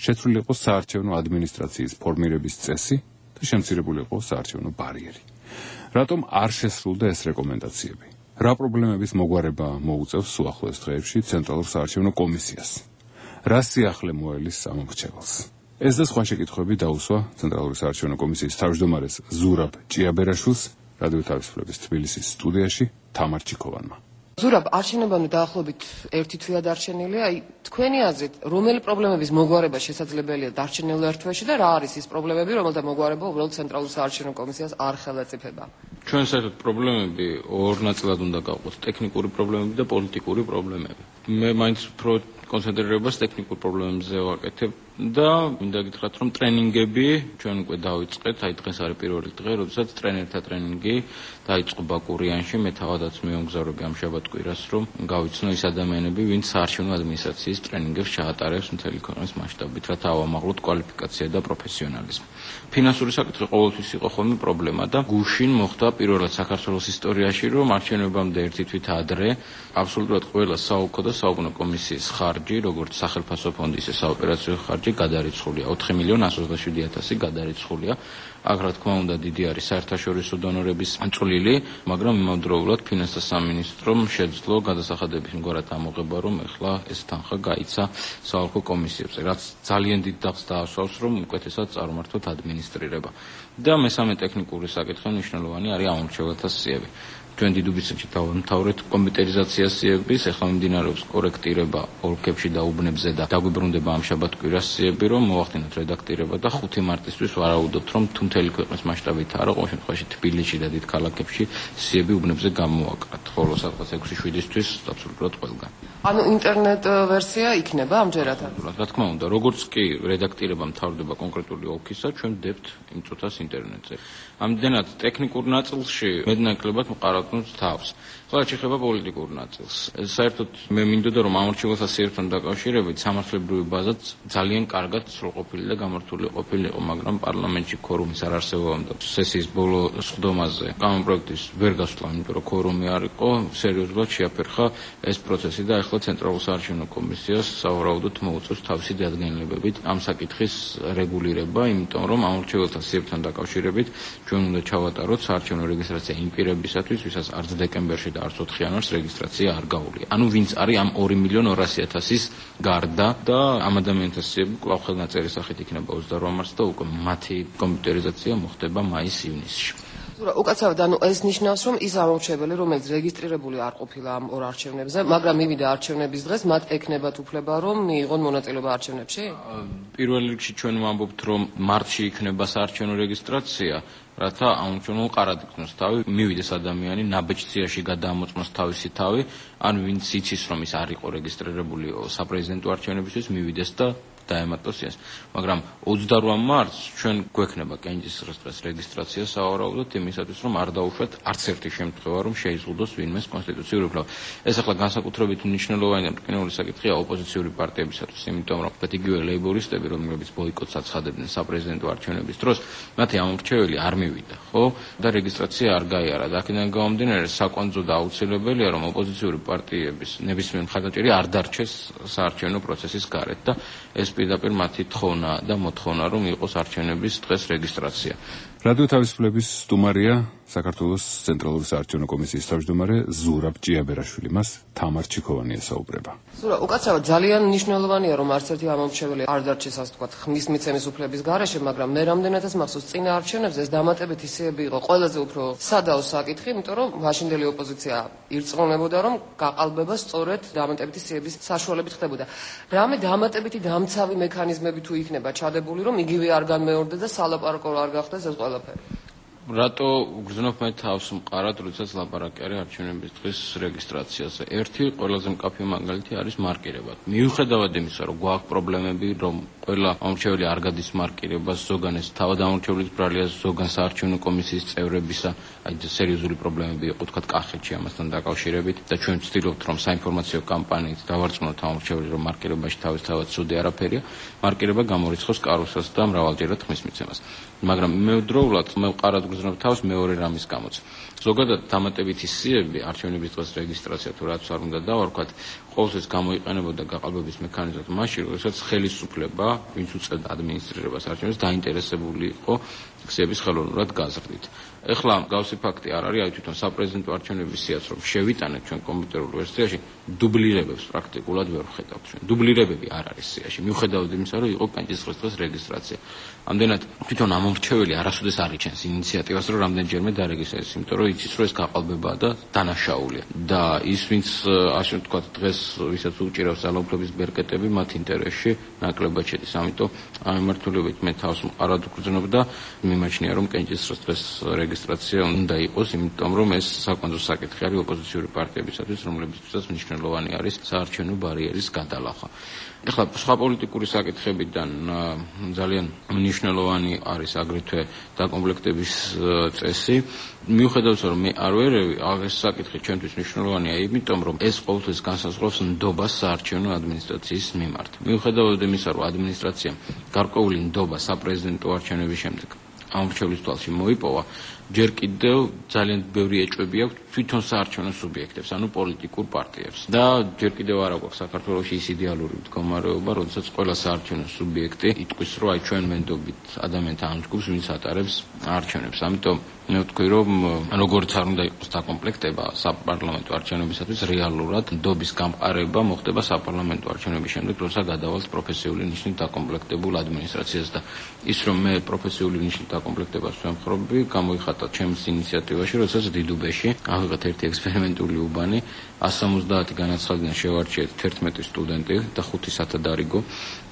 შეცვლილი იყო საარჩევნო ადმინისტრაციის ფორმირების წესი და შემცირებული იყო საარჩევნო ბარიერი. რატომ არ შესრულდა ეს რეკომენდაციები? რა პრობლემების მოგვარება მოუწევს უახლოეს დღეებში ცენტრალურ საარჩევნო კომისიას? რა სიახლე მოელის ამომრჩეველს? ეს და სხვა შეკითხვები დაუსვა ცენტრალური საარჩევნო კომისიის თავმჯდომარეს ზურაბ ჭიაბერაშვილს რადიო თავისუფლების თბილისის სტუდიაში თამარ ჩიქოვანმა. ზურაბ, არჩევნებამდე დაახლოებით 1 თვეა დარჩენილი, თქვენი აზრით, რომელი პრობლემების მოგვარება შესაძლებელია დარჩენილ 1 თვეში და რა არის ის პრობლემები, რომელთა მოგვარება უბრალოდ ცენტრალურ საარჩევნო კომისიას არ ხელაწიფება? ჩვენ საერთოდ პრობლემები ორ ნაწილად უნდა გავყოთ, ტექნიკური პრობლემები და პოლიტიკური პრობლემები. მე მაინც უფრო კონცენტრირებას ტექნიკურ პრობლემებზე ვაკეთებ და მინდა გითხრათ, რომ ტრენინგები ჩვენ უკვე დავიწყეთ, დღეს არის პირველი დღე, როდესაც ტრენერთა ტრენინგი დაიწყო ბაკურიანში, მე თავადაც მივამგზავრები ამ შაბათ-კვირას, რომ გავიცნო ის ადამიანები, ვინც საარჩევნო ადმინისტრაციის ტრენინგებს ჩაატარებს მთელი ქვეყნის მასშტაბით, რათა ავამაღლოთ კვალიფიკაცია და პროფესიონალიზმი. ფინანსური საკითხი ყოველთვის იყო ხოლმე პრობლემა და გუშინ მოხდა პირველად საქართველოს ისტორიაში, რომ არჩევნებამდე 1 თვით ადრე აბსოლუტურად ყველა საოლქო და საუკუნო კომისიის ხარჯი, როგორც სახელმწიფო ფონდი, ისე საოპერაციო ხარჯი გადარიცხულია. 4,127,000 გადარიცხულია. აქ რა თქმა უნდა დიდი არის საერთაშორისო დონორების წვლილი, მაგრამ იმავდროულად ფინანსთა სამინისტრომ შეძლო გადასახადების მგვარად ამოღება, რომ ეხლა ეს თანხა გაიცა საოლქო კომისიებზე, რაც ძალიან დიდ დახს დაასვავს, რომ უკეთესად წარმართოთ ადმინისტრირება. და მესამე ტექნიკური საკითხი მნიშვნელოვანი არის ამორჩეველთა სიები. ჩვენ დიდუბისში დავამთავრეთ კომპიუტერიზაციას სიების, ეხლა მიმდინარეობს კორექტირება ოლქებში და უბნებზე და დაგვიბრუნდება ამ შაბათ-კვირას სიები, რომ მოვახდინოთ რედაქტირება და 5 მარტისთვის ვარაუდობთ, რომ თუ მთელი ქვეყნის მასშტაბით არა, ყოველ შემთხვევაში თბილისში და დიდ ქალაქებში სიები უბნებზე გამოვაკრათ, ხოლო სადღაც 6-7-ისთვის აბსოლუტურად ყველგან. ანუ ინტერნეტ ვერსია იქნება ამჯერად? რა თქმა უნდა, როგორც კი რედაქტირება მთავრდება კონკრეტული ოლქისა, ჩვენ ვდებთ იმ წუთას ინტერნეტზე. ამდენად ტექნიკურ ნაწილში მეტნაკლებად მყარავთ თავს. ხოლო შეხება პოლიტიკურ ნაწილს. საერთოდ მე მინდოდა რომ ამორჩეველთა სიებთან დაკავშირებით სამართლებრივი ბაზა ძალიან კარგად სრულყოფილი და გამართული ყოფილიყო, მაგრამ პარლამენტში ქორუმის არ არსებობამ და სესიის ბოლო სხდომაზე კანონპროექტის ვერ გასვლა, იმიტომ რომ ქორუმი არ იყო, სერიოზულად შეაფერხა ეს პროცესი და ახლა ცენტრალურ საარჩევნო კომისიას სავარაუდოდ მოუწევს თავისი დადგენილებებით ამ საკითხის რეგულირება, იმიტომ რომ ამორჩეველთა სიებთან დაკავშირებით ჩვენ უნდა ჩავატაროთ საარჩევნო რეგისტრაცია იმ პირებისათვის, ვისაც არც დეკემბერში და არც 4 იანვარს რეგისტრაცია არ გაუვლია. ანუ ვინც არის ამ 2,200,000-ის გარდა და ამ ადამიანთა სიები კვლავ ხელნაწერის სახით იქნება 28 მარტს და უკვე მათი კომპიუტერიზაცია მოხდება მაის-ივნისში. უკაცრავად, ანუ ეს ნიშნავს, რომ ის ამორჩეველი, რომელიც რეგისტრირებული არ ყოფილა ამ ორ არჩევნებზე, მაგრამ მივიდა არჩევნების დღეს, მათ ექნებათ უფლება, რომ მიიღონ მონაწილეობა არჩევნებში? პირველ რიგში ჩვენ ვამბობთ, რომ მარტში იქნება საარჩევნო რეგისტრაცია, რათა აუნჩონო ყარად იქნოს თავი, მივიდეს ადამიანი, ნაბეჭდიაში გადაამოწმოს თავისი თავი, ან ვინც იცის, რომ ის არ იყო რეგისტრირებული საპრეზიდენტო არჩევნებისთვის, მივიდეს და დაემატოს ეს. მაგრამ 28 მარტს ჩვენ გვექნება კენჭისყრის დღეს რეგისტრაცია სავარაუდოდ იმისათვის, რომ არ დაუშვათ არც ერთი შემთხვევა, რომ შეიზღუდოს ვინმეს კონსტიტუციური უფლება. ეს ახლა განსაკუთრებით მნიშვნელოვანი და მტკნეული საკითხია ოპოზიციური პარტიებისათვის, იმიტომ რომ იგივე ლეიბორისტები, რომლებიც ბოიკოტს აცხადებდნენ საპრეზიდენტო არჩევნების დროს, მათი ამორჩეველი არ მივიდა, ხო? და რეგისტრაცია არ გაიარა. და აქედან გამომდინარე, საკვანძო და აუცილებელია, რომ ოპოზიციური პარტიების ნებისმიერ მხარდაჭერი არ დარჩეს საარჩევნო პროცესის გარეთ და ეს პირდაპირ მათი თხოვნა და მოთხოვნა, რომ იყოს არჩევნების დღეს რეგისტრაცია. რადიო თავისუფლების სტუმარია საქართველოს ცენტრალური საარჩევნო კომისიის თავმჯდომარე ზურაბ ჭიაბერაშვილი, მას თამარ ჩიქოვანი ესაუბრება. ზურაბ, უკაცრავად ძალიან მნიშვნელოვანია, რომ არც ერთი ამორჩეველი არ დარჩეს, ასე ვთქვათ, ხმის მიცემის უფლების გარეშე, მაგრამ მე რამდენადაც მახსოვს წინა არჩევნებზე ეს დამატებითი სიები იყო ყველაზე უფრო სადაო საკითხი, იმიტომ რომ მაშინდელი ოპოზიცია ირწმუნებოდა, რომ გაყალბება სწორედ დამატებითი სიების საშუალებით ხდებოდა. რამე დამატებითი დამცავი მექანიზმები თუ იქნება ჩადებული, რომ იგივე არ განმეორდეს და სალაპარაკო არ გახდეს ეს ყველაფერი? რატო გრძნობ მე თავს მყარად, როდესაც ლაპარაკი არის არჩევნების დღის რეგისტრაციაზე. ერთი ყველაზე მკაფიო მაგალითი არის მარკირება. მიუხედავად იმისა, რომ გვაქვს პრობლემები, რომ ყველა ამორჩეველი არ გადის მარკირებას, ზოგან ეს თავად ამორჩეველის ბრალია, ზოგან საარჩევნო კომისიის წევრებისა, სერიოზული პრობლემები იყო, თქვათ კახეთში ამასთან დაკავშირებით და ჩვენ ვცდილობთ, რომ საინფორმაციო კამპანიით დავარწმუნოთ ამორჩეველი, რომ მარკირებაში თავისთავად ცუდი არაფერია, მარკირება გამორიცხავს კარუსელს და მრავალჯერად ხმის მიცემას. მაგრამ იმავდროულად მე ვყარად გრძნობ თავს მეორე რამის გამოც. ზოგადად დამატებითი სიები არჩევნების დღეს რეგისტრაცია თუ რაც არ უნდა დავარქვათ, ყოველთვის გამოიყენებოდა გაყალბების მექანიზმად მაშინ, როდესაც ხელისუფლება, ვინც უწევდა ადმინისტრირებას არჩევნებს, დაინტერესებული იყო ქსების ხელოვნურად გაზრდით. ეხლა გავსი ფაქტი არ არის, აი თვითონ საპრეზიდენტო არჩევნების სიაც რომ შევიტანეთ ჩვენ კომპიუტერულ ვერსიაში, დუბლირებებს პრაქტიკულად ვერ ვხედავთ ჩვენ. დუბლირებები არ არის სიაში. მიუხედავად იმისა, რომ იყო პენსიის დღეს რეგისტრაცია. ამდენად თვითონ ამომრჩეველი არასოდეს არ იჩენს ინიციატივას, რომ რამდენჯერმე დარეგისტრდეს, იმიტომ რომ იცის, რომ ეს გაყალბებაა და დანაშაულია. და ის, ვინც ასე ვთქვათ, დღეს ვისაც უჭირავს ძალაუფლების ბერკეტები, მათ ინტერესში ნაკლებად შედის. ამიტომ ამ მიმართულებით მე თავს მყარად ვგრძნობ და მიმაჩნია, რომ პენსიის დღეს რეგისტრაცია უნდა იყოს, იმიტომ რომ ეს საკვანძო საკითხი არის ოპოზიციური პარტიებისათვის, რომლებიცაც მნიშვნელოვანი არის საარჩევნო ბარიერის გადალახვა. ეხლა სხვა პოლიტიკური საკითხებიდან ძალიან მნიშვნელოვანი არის აგრეთვე დაკომპლექტების წესი. მიუხედავად რომ მე არ ვერევი, ეს საკითხი ჩვენთვის მნიშვნელოვანია, იმიტომ რომ ეს ყოველთვის განსაზღვრავს ნდობას საარჩევნო ადმინისტრაციის მიმართ. მიუხედავად იმისა, რომ ადმინისტრაციამ გარკვეული ნდობა საპრეზიდენტო არჩევნების შემდეგ ამორჩევლის თვალში მოიპოვა, ჯერ კიდევ ძალიან ბევრი ეჭვები აქვს თვითონ საარჩევნო სუბიექტებს, ანუ პოლიტიკურ პარტიებს. და ჯერ კიდევ არ აქვს საქართველოში ის იდეალური მდგომარეობა, როდესაც ყველა საარჩევნო სუბიექტი იტყვის, რომ აი ჩვენ ვენდობით ადამიანთა ამ ჯგუფს, ვინც ატარებს არჩევნებს. ამიტომ მე ვთქვი, რომ როგორც არ უნდა იყოს დაკომპლექტება საპარლამენტო არჩევნებისათვის, რეალურად ნდობის გამყარება მოხდება საპარლამენტო არჩევნების შემდეგ, როცა გადავალთ პროფესიული ნიშნით დაკომპლექტებულ ადმინისტრაციას და ის რომ მე პროფესიული ნიშნით დაკომპლექტებას ვემხრობი, გამოიხატა ჩემს ინიციატივაში, როდესაც დიდუბეში ავიღეთ ერთი ექსპერიმენტული უბანი, 170 განაცხადიდან შევარჩიეთ 11 სტუდენტი და 5 სათადარიგო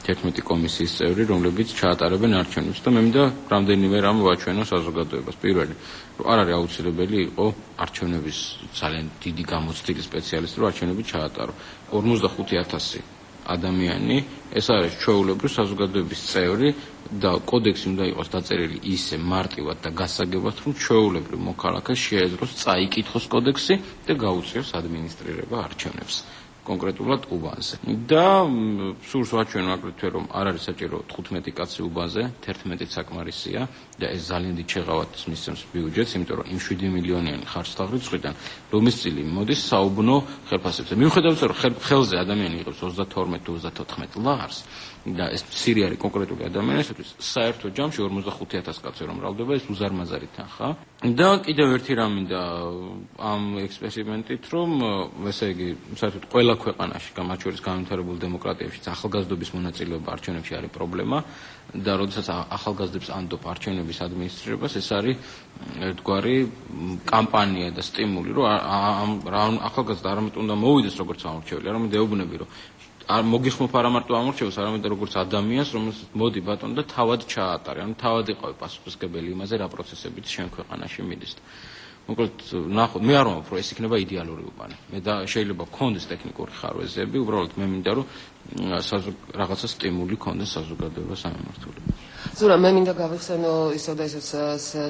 11 კომისიის წევრი, რომლებიც ჩაატარებენ არჩევნებს და მე მინდა რამდენიმე რამ ვაჩვენო საზოგადოებას. პირველი, რომ არ არის აუცილებელი იყო არჩევნების ძალიან დიდი გამოცდილი სპეციალისტი, რომ არჩევნები ჩაატარო. 45,000 ადამიანი, ეს არის ჩვეულებრივ საზოგადოების წევრი და კოდექსი უნდა იყოს დაწერილი ისე მარტივად და გასაგებად, რომ ჩვეულებრივ მოქალაქეს შეეძლოს წაიკითხოს კოდექსი და გაუწიოს ადმინისტრირება არჩევნებს. კონკრეტულად უბანზე. და სურს ვაჩვენო აგრეთვე, რომ არ არის საჭირო 15 კაცი უბანზე, 11 საკმარისია და ეს ძალიან დიდ შეღავათს მისცემს ბიუჯეტს, იმიტომ რომ იმ 7 მილიონიანი ხარჯ-თაღრიცხვიდან ლომის წილი მოდის საუბნო ხელფასებზე. მიუხედავად რომ ხელზე ადამიანი იღებს 32-34 ლარს და ეს მცირე არის კონკრეტული ადამიანისთვის, საერთო ჯამში 45,000 კაცი რომ მრავლდება, ეს უზარმაზარი თანხა. და კიდევ ერთი რამ მინდა ამ ექსპერიმენტით, რომ ესე იგი, საერთოდ ყველა ქვეყანაში, მათ შორის განვითარებულ დემოკრატიებშიც ახალგაზრდობის მონაწილეობა არჩევნებში არის პრობლემა და როდესაც ახალგაზრდებს ანდობ არჩევნების ადმინისტრირებას, ეს არის ერთგვარი კამპანია და სტიმული, რომ ახალგაზრდა არამედ უნდა მოვიდეს როგორც ამორჩეველი, არამედ ეუბნები, რომ მოგიხმობ არა მარტო ამორჩევას, არამედ როგორც ადამიანს, რომელსაც მოდი ბატონო და თავად ჩაატარე, ანუ თავად იყავი პასუხისმგებელი იმაზე, რა პროცესებით შენ ქვეყანაში მიდის. მოკლედ, ნახოთ, მე არ ვამბობ, რომ ეს იქნება იდეალური უბანი. მე და შეიძლება გქონდეს ტექნიკური ხარვეზები, უბრალოდ მე მინდა, რომ რაღაცა სტიმული გქონდეს საზოგადოებას ამ მიმართულებით. ზურა, მე მინდა გავიხსენო ისევ და ისევ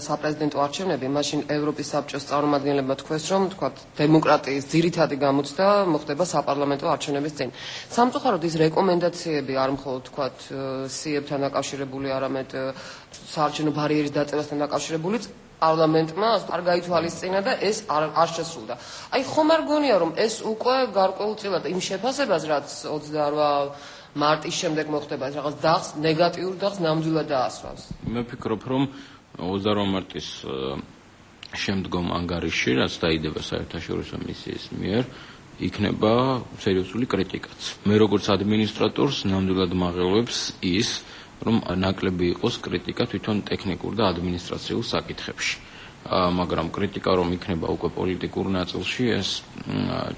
საპრეზიდენტო არჩევნები, მაშინ ევროპის საბჭოს წარმომადგენლებმა თქვეს, რომ თქვათ დემოკრატიის ძირითადი გამოცდა მოხდება საპარლამენტო არჩევნების წინ. სამწუხაროდ ის რეკომენდაციები არ მხოლოდ თქვათ სიებთან დაკავშირებული, არამედ საარჩევნო ბარიერის დაწევასთან დაკავშირებულიც პარლამენტმა არ გაითვალისწინა და ეს არ შესრულდა. აი ხომ არ გონია, რომ ეს უკვე გარკვეულწილად იმ შეფასებას, რაც 28 მარტის შემდეგ მოხდება, რაღაც დახს, ნეგატიურ დახს ნამდვილად დაასვავს. მე ვფიქრობ, რომ 28 მარტის შემდგომ ანგარიში, რაც დაიდება საერთაშორისო მისიის მიერ, იქნება სერიოზული კრიტიკაც. მე როგორც ადმინისტრატორს ნამდვილად მაღელვებს ის, რომ ნაკლები იყოს კრიტიკა თვითონ ტექნიკურ და ადმინისტრაციულ საკითხებში. მაგრამ კრიტიკა რომ იქნება უკვე პოლიტიკურ ნაწილში, ეს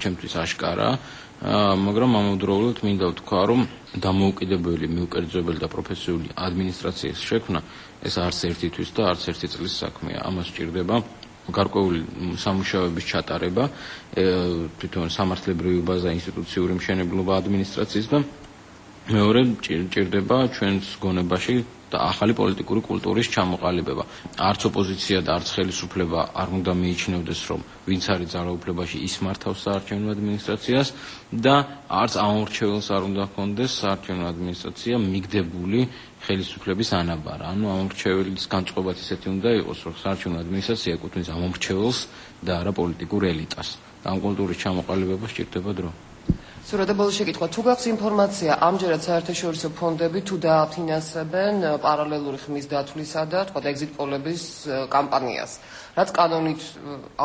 ჩემთვის აშკარაა. მაგრამ ამავდროულად მინდა ვთქვა, რომ დამოუკიდებელი, მიუკერძოებელი და პროფესიული ადმინისტრაციის შექმნა ეს არც ერთითვის და არც ერთი წლის საქმეა. ამას სჭირდება გარკვეული სამუშაოების ჩატარება, თვითონ სამართლებრივი ბაზა, ინსტიტუციური მშენებლობა ადმინისტრაციის და მეორე ჭირდება ჩვენს გონებაში და ახალი პოლიტიკური კულტურის ჩამოყალიბება. არც ოპოზიცია და არც ხელისუფლება არ უნდა მიიჩნევდეს, რომ ვინც არის ძალაუფლებაში, ის მართავს საარჩევნო ადმინისტრაციას და არც ამორჩეველს არ უნდა ჰქონდეს საარჩევნო ადმინისტრაცია მიგდებული ხელისუფლების ანაბარა. ანუ ამორჩეველის განწყობაც ისეთი უნდა იყოს, რომ საარჩევნო ადმინისტრაცია ეკუთვნის ამორჩეველს და არა პოლიტიკურ ელიტას. ამ კულტურის ჩამოყალიბება სჭირდება დრო. სურათებოლის შეკითხვა თუ გაქვს ინფორმაცია ამჯერად საერთაშორისო ფონდები თუ დააფინანსებენ პარალელური ხმის დათვლისა და თქვა ეგზიტ პოლების კამპანიას რაც კანონით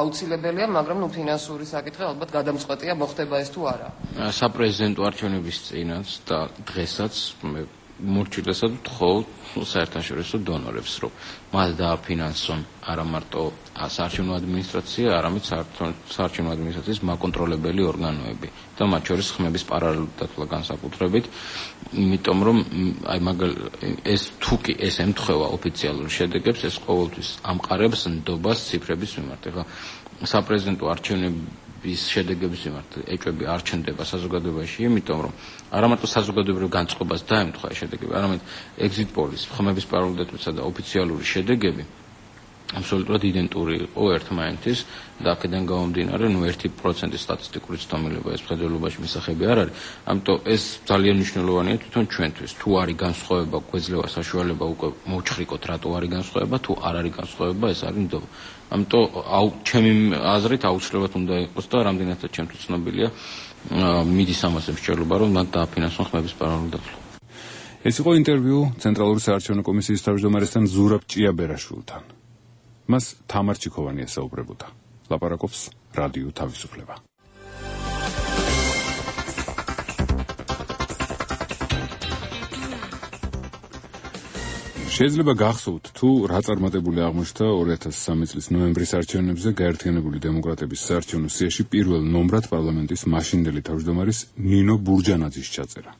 აუცილებელია მაგრამ ფინანსური საკითხი ალბათ გადამწყვეტია მოხდება ეს თუ არა საპრეზიდენტო არჩევნების წინაც და დღესაც მე მორჩილესად ვთხოვ საერთაშორისო დონორებს რომ მათ დააფინანსონ არა მარტო საარჩევნო ადმინისტრაცია არამედ საარჩევნო ადმინისტრაციის მაკონტროლებელი ორგანოები და მათ შორის ხმების პარალელური დათვლა განსაკუთრებით იმიტომ რომ აი ეს თუკი ეს ემთხვევა ოფიციალურ შედეგებს ეს ყოველთვის ამყარებს ნდობას ციფრების მიმართ ეხლა საპრეზიდენტო არჩევნების შედეგების მიმართ ეჭვები არ ჩნდება საზოგადოებაში იმიტომ რომ არა მარტო საზოგადოებრივ განწყობას დაემთხვა შედეგები არამედ ეგზიტ პოლის ხმების პარალელური დათვლისა და ოფიციალური შედეგები აბსოლუტურად იდენტური იყო ერთმანეთის და აქედან გამომდინარე 1% სტატისტიკური ცდომილება ეს მხედველობაში მისაღები არ არის ამიტომ ეს ძალიან მნიშვნელოვანია თვითონ ჩვენთვის თუ არის განსხვავება გვეძლევა საშუალება უკვე მოვჩხრიკოთ რატო არის განსხვავება თუ არ არის განსხვავება ეს არის ნდობა ამიტომ ჩემი აზრით აუცილებლად უნდა იყოს და რამდენადაც ჩემთვის ცნობილია მიდის ამას მსჯელობა რომ მათ დააფინანსონ ხმების პარალელური დათვლა ეს იყო ინტერვიუ ცენტრალური საარჩევნო კომისიის თავმჯდომარესთან ზურაბ ჭიაბერაშვილთან მას თამარ ჩიქოვანი ესაუბრებოდა. ლაპარაკობს რადიო თავისუფლება. შეიძლება გახსოვთ, თუ რა წარმატებული აღმოჩნდა 2003 წლის ნოემბრის არჩევნებზე გაერთიანებული დემოკრატების საარჩევნო სიაში პირველ ნომრად პარლამენტის მაშინდელი თავმჯდომარის ნინო ბურჯანაძის ჩაწერა.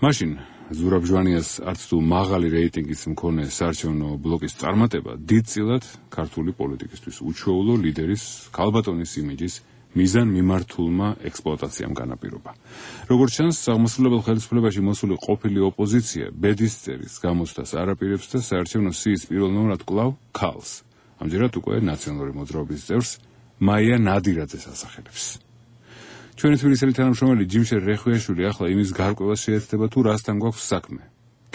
მაშინ ზურაბ ჟვანიას არც თუ მაღალი რეიტინგის მქონე საარჩევნო ბლოკის წარმატება დიდწილად ქართული პოლიტიკისთვის უჩვეულო ლიდერის ქალბატონის იმიჯის მიზან მიმართულმა ექსპლუატაციამ განაპირობა. როგორც ჩანს, აღმასრულებელ ხელისუფლებაში მოსული ყოფილი ოპოზიცია ბედის წერის გამოცდას არაპირებს და საარჩევნო სიის პირველ ნომრად კვლავ ქალს, ამჯერად უკვე ნაციონალური მოძრაობის წევრს მაია ნადირაძეს ასახელებს. ჩვენი თბილისელი თანამშრომელი ჯიმშერ რეხვიაშვილი ახლა იმის გარკვევას შეეცდება თუ რასთან გვაქვს საქმე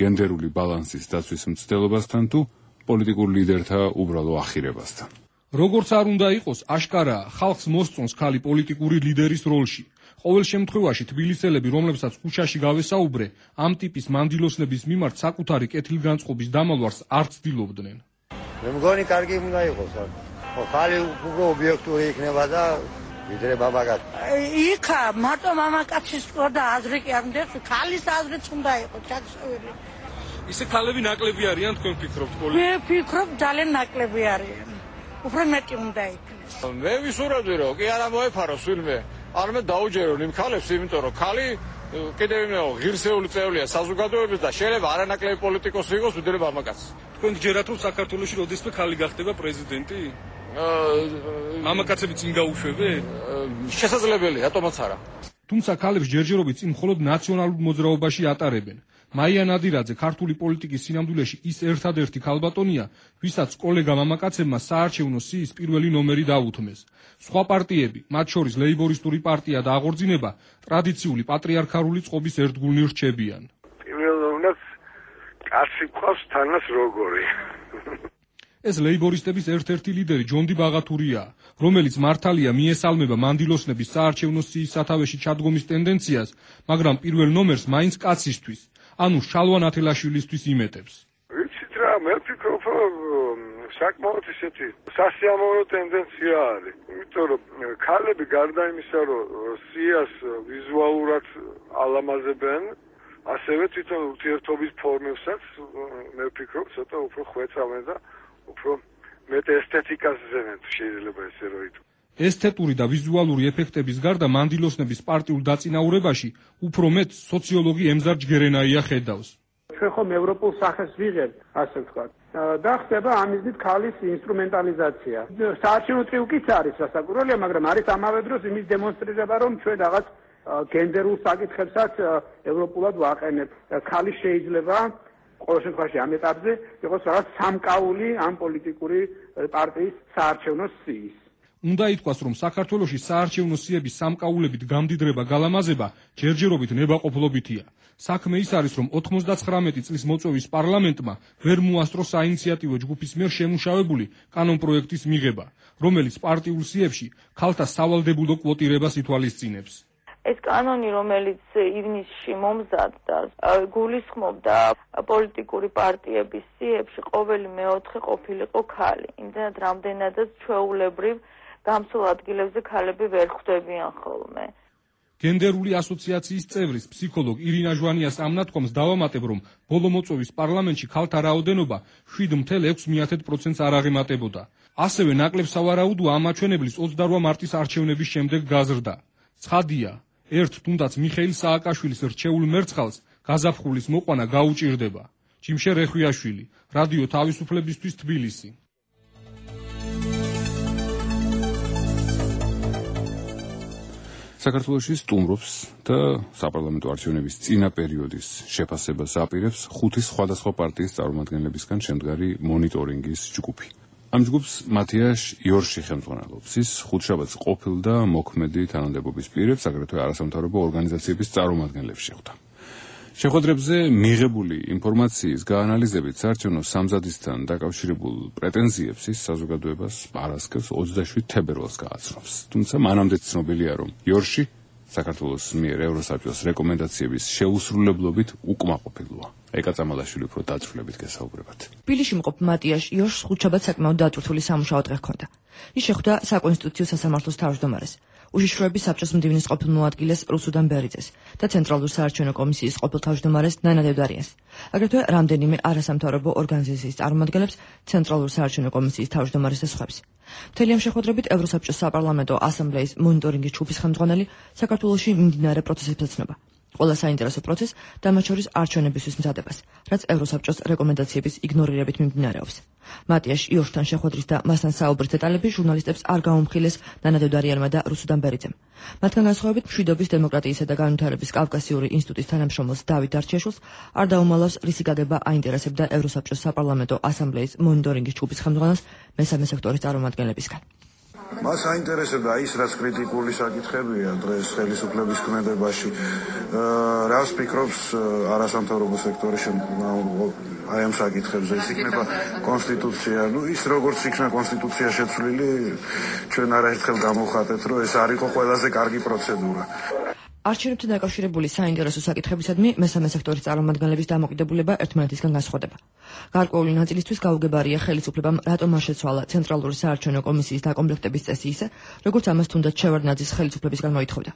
გენდერული ბალანსის დაცვის მცდელობასთან თუ პოლიტიკურ ლიდერთა უბრალო ახირებასთან როგორც არ უნდა იყოს აშკარაა ხალხს მოსწონს ქალი პოლიტიკური ლიდერის როლში ყოველ შემთხვევაში თბილისელები რომლებსაც ქუჩაში გავესაუბრე ამ ტიპის მანდილოსნების მიმართ საკუთარი კეთილგანწყობის დამალვარს არ ცდილობდნენ მე მგონი კარგი უნდა იყოს ხო ხალი უფრო ობიექტური იქნება და ვიდრე ბაბაკაც. იქა მარტო მამაკაცის და აზრი კი არ მდეხს, ქალის აზრიც უნდა იყოს ჩაქსოვილი. ისე ქალები ნაკლები არიან თქვენ ფიქრობთ პოლიტიკაში? მე ვფიქრობ ძალიან ნაკლები არიან. უფრო მეტი უნდა იქნეს. მე ვისურვებდი რომ კი არა მოეფაროს ვინმე. არამედ დაუჯერონ იმ ქალებს, იმიტომ რომ ქალი კიდევ იმეო ღირსეული წევრია საზოგადოების და შეიძლება არანაკლები პოლიტიკოსი იყოს ვიდრე მამაკაცი. თქვენ გჯერათ რომ საქართველოში როდესმე ქალი გახდება პრეზიდენტი? მამაკაცები წინ გაუშვებენ? შესაძლებელია, რატომაც არა. თუმცა ქალებს ჯერჯერობით წინ მხოლოდ ნაციონალურ მოძრაობაში ატარებენ. მაია ნადირაძე ქართული პოლიტიკის სინამდვილეში ის ერთადერთი ქალბატონია, ვისაც კოლეგა მამაკაცებმა საარჩევნო სიის პირველი ნომერი დაუთმეს. სხვა პარტიები, მათ შორის ლეიბორისტული პარტია და აღორძინება, ტრადიციული პატრიარქალური წყობის ერთგულნი რჩებიან. პირველ ნომრად კაცი ყავს თანას როგორი. ეს ლეიბორისტების ერთ-ერთი ლიდერი ჯონდი ბაღათურია, რომელიც მართალია მიესალმება მანდილოსნების საარჩევნო სიის სათავეში ჩადგომის ტენდენციას, მაგრამ პირველ ნომერს მაინც კაცისთვის, ანუ შალვა ნათელაშვილისთვის იმეტებს. ვიცით რა, მე ვფიქრობ, საკმაოდ ისეთი სასიამოვნო ტენდენცია არის. იმიტომ რომ ქალები გარდა იმისა, რომ სიას ვიზუალურად ალამაზებენ, ასევე თვითონ ურთიერთობის ფორმებსაც მე ვფიქრობ, ცოტა უფრო ხვეწავენ და უფრო მეტ ესთეტიკას ზენენ შეიძლება ესე რომ ითქვა. ესთეტური და ვიზუალური ეფექტების გარდა მანდილოსნების პარტიულ დაწინაურებაში უფრო მეტ სოციოლოგი ემზარ ჯგერენაია ხედავს. ჩვენ ხომ ევროპულ სახეს ვიღებთ, ასე ვთქვათ. და ხდება ამის ქალის ინსტრუმენტალიზაცია. საარჩევნო ტრიუკიც არის სასაკურველია, მაგრამ არის ამავე დროს იმის დემონსტრირება, რომ ჩვენ რაღაც გენდერულ საკითხებსაც ევროპულად ვაყენებთ. ქალი შეიძლება ყოველ შემთხვევაში ამ ეტაპზე იყოს რაღაც სამკაული ამ პოლიტიკური პარტიის საარჩევნო სიის. უნდა ითქვას, რომ საქართველოში საარჩევნო სიების სამკაულებით გამდიდრება გალამაზება ჯერჯერობით ნებაყოფლობითია. საქმე ის არის, რომ 99 წლის მოწვევის პარლამენტმა ვერ მოასწრო საინიციატივო ჯგუფის მიერ შემუშავებული კანონპროექტის მიღება, რომელიც პარტიულ სიებში ქალთა სავალდებულო კვოტირებას ითვალისწინებს. ეს კანონი, რომელიც ივნისში მომზადდა, გულისხმობდა პოლიტიკური პარტიების სიებში ყოველი მეოთხე ყოფილიყო ქალი. იმდენად რამდენადაც ჩვეულებრივ გამსულ ადგილებზე ქალები ვერ ხვდებიან ხოლმე. გენდერული ასოციაციის წევრის ფსიქოლოგ ირინა ჟვანიას ამნათქვამს დავამატებ, რომ ბოლო მოწვევის პარლამენტში ქალთა რაოდენობა 7.6%-ს არ აღემატებოდა. ასევე ნაკლებ სავარაუდოა ამ მაჩვენებლის 28 მარტის არჩევნების შემდეგ გაზრდა. ცხადია, ერთ თუნდაც მიხეილ სააკაშვილის რჩეულ მერცხალს გაზაფხულის მოყვანა გაუჭირდება. ჯიმშე რეხვიაშვილი, რადიო თავისუფლებისთვის თბილისი. საქართველოში სტუმრობს და საპარლამენტო არჩევნების წინა პერიოდის შეფასებას აპირებს 5 სხვადასხვა პარტიის წარმომადგენლებისგან შემდგარი მონიტორინგის ჯგუფი. ამ ჯგუფს მათიაშ იორში ხელმძღვანელობს. ის ხუთშაბათს ყოფილ და მოქმედი თანამდებობის პირებს, აგრეთვე არასამთავრობო ორგანიზაციების წარმომადგენლებს შეხვდა. შეხვედრებზე მიღებული ინფორმაციის გაანალიზებით საარჩევნო სამზადისთან დაკავშირებულ პრეტენზიებს ის საზოგადოებას პარასკევს 27 თებერვალს გააცნობს. თუმცა მანამდე ცნობილია, რომ იორში საქართველოს მიერ ევროსაბჭოს რეკომენდაციების შეუსრულებლობით უკმაყოფილოა. ეკა წამალაშვილი უფრო დაწვრილებით გესაუბრებათ. თბილისში მყოფ მატიაშ იორშს ხუთშაბათს საკმაოდ დაწვრთული სამუშაო დღე ჰქონდა. ის შეხვდა საკონსტიტუციო სასამართლოს თავმჯდომარეს, უშიშროების საბჭოს მდივნის ყოფილ მოადგილეს რუსუდან ბერიძეს და ცენტრალურ საარჩევნო კომისიის ყოფილ თავმჯდომარეს ნანა დევდარიანს. აგრეთვე რამდენიმე არასამთავრობო ორგანიზაციის წარმომადგენლებს, ცენტრალურ საარჩევნო კომისიის თავმჯდომარეს და სხვებს. მთელი ამ შეხვედრებით ევროსაბჭოს საპარლამენტო ასამბლეის მონიტორინგის ჯგუფის ხელმძღვანელი საქართველოში მიმდინარე პროცესებს ეცნობა. ყველა საინტერესო პროცესს და მათ შორის არჩევნებისთვის მზადებას, რაც ევროსაბჭოს რეკომენდაციების იგნორირებით მიმდინარეობს. მატიაშ იორშთან შეხვედრის და მასთან საუბრის დეტალები ჟურნალისტებს არ გაუმხილეს ნანა დევდარიანმა და რუსუდან ბერიძემ. მათგან განსხვავებით მშვიდობის, დემოკრატიისა და განვითარების კავკასიური ინსტიტუტის თანამშრომელს დავით დარჩიაშვილს არ დაუმალავს რისი გაგება აინტერესებდა ევროსაბჭოს საპარლამენტო ასამბლეის მონიტორინგის ჯგუფის ხელმძღვანელს მესამე სექტორის წარმომადგენლებისგან. მას აინტერესებდა ის, რაც კრიტიკული საკითხებია დღეს ხელისუფლების ქმედებაში. რას ფიქრობს არასამთავრობო სექტორი აი ამ საკითხებზე? ის იქნება კონსტიტუცია. ის როგორც იქნება კონსტიტუცია შეცვლილი, ჩვენ არაერთხელ გამოვხატეთ, რომ ეს არ იყო ყველაზე კარგი პროცედურა. არჩევნებთან დაკავშირებული საინტერესო საკითხებისადმი მესამე სექტორის წარმომადგენლების დამოკიდებულება ერთმანეთისგან განსხვავდება. გარკვეული ნაწილისთვის გაუგებარია ხელისუფლებამ რატომ არ შეცვალა ცენტრალური საარჩევნო კომისიის დაკომპლექტების წესი ისე, როგორც ამას თუნდაც შევარდნაძის ხელისუფლებისგან მოითხოვდა.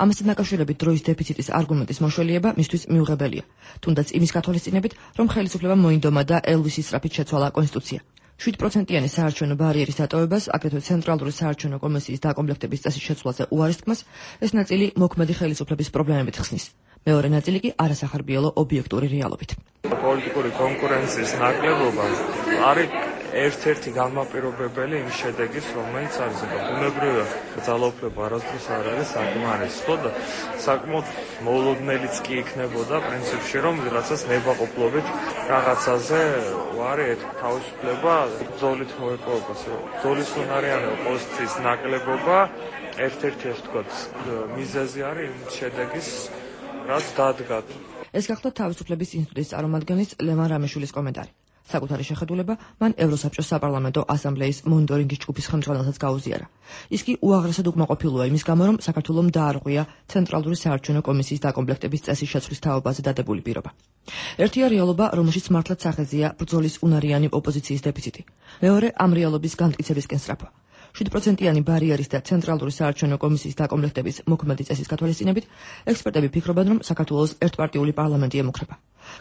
ამასთან დაკავშირებით დროის დეფიციტის არგუმენტის მოშველიება მისთვის მიუღებელია, თუნდაც იმის გათვალისწინებით, რომ ხელისუფლებამ მოინდომა და ელვისის სწრაფით შეცვალა კონსტიტუცია. 7%-იანი საარჩევნო ბარიერის დატოვებას, აგრეთვე ცენტრალური საარჩევნო კომისიის დაკომპლექტების წესის შეცვლაზე უარის თქმას, ეს ნაწილი მოქმედი ხელისუფლების პრობლემებით ხსნის. მეორე ნაწილი კი არასახარბიელო ობიექტური რეალობით. პოლიტიკური კონკურენციის ნაკლებობა არის ერთ-ერთი განმაპირობებელი იმ შედეგის, რომელიც არის ბუნებრივია ძალაუფლება არასდროს არ არის საკმარისი და საკმაოდ მოულოდნელიც კი იქნებოდა პრინციპში, რომ ვიღაცას ნებაყოფლობით რაღაცაზე არის თავისუფლება ბრძოლით მოეპოვება. ბრძოლის უნარიანი პოზიციის ნაკლებობა ერთ-ერთი ასე ვთქვათ მიზეზი არის იმ შედეგის, რაც დადგა. ეს გახდა თავისუფლების ინსტიტუტის წარმომადგენლის ლევან რამიშვილის კომენტარი. საკუთარი შეხედულება მან ევროსაბჭოს საპარლამენტო ასამბლეის მონიტორინგის ჯგუფის ხელმძღვანელსაც გაუზიარა. ის კი უაღრესად უკმაყოფილოა იმის გამო, რომ საქართველომ დაარღვია ცენტრალური საარჩევნო კომისიის დაკომპლექტების წესის შეცვლის თაობაზე დადებული პირობა. ერთია რეალობა, რომელშიც მართლაც სახეზეა ბრძოლის უნარიანი ოპოზიციის დეფიციტი. მეორე ამ რეალობის განმტკიცებისკენ სწრაფვა. 7%-იანი ბარიერის და ცენტრალური საარჩევნო კომისიის დაკომპლექტების მოქმედი წესის გათვალისწინებით, ექსპერტები ფიქრობენ, რომ საქართველოს ერთპარტიული პარლამენტი ემუქრება.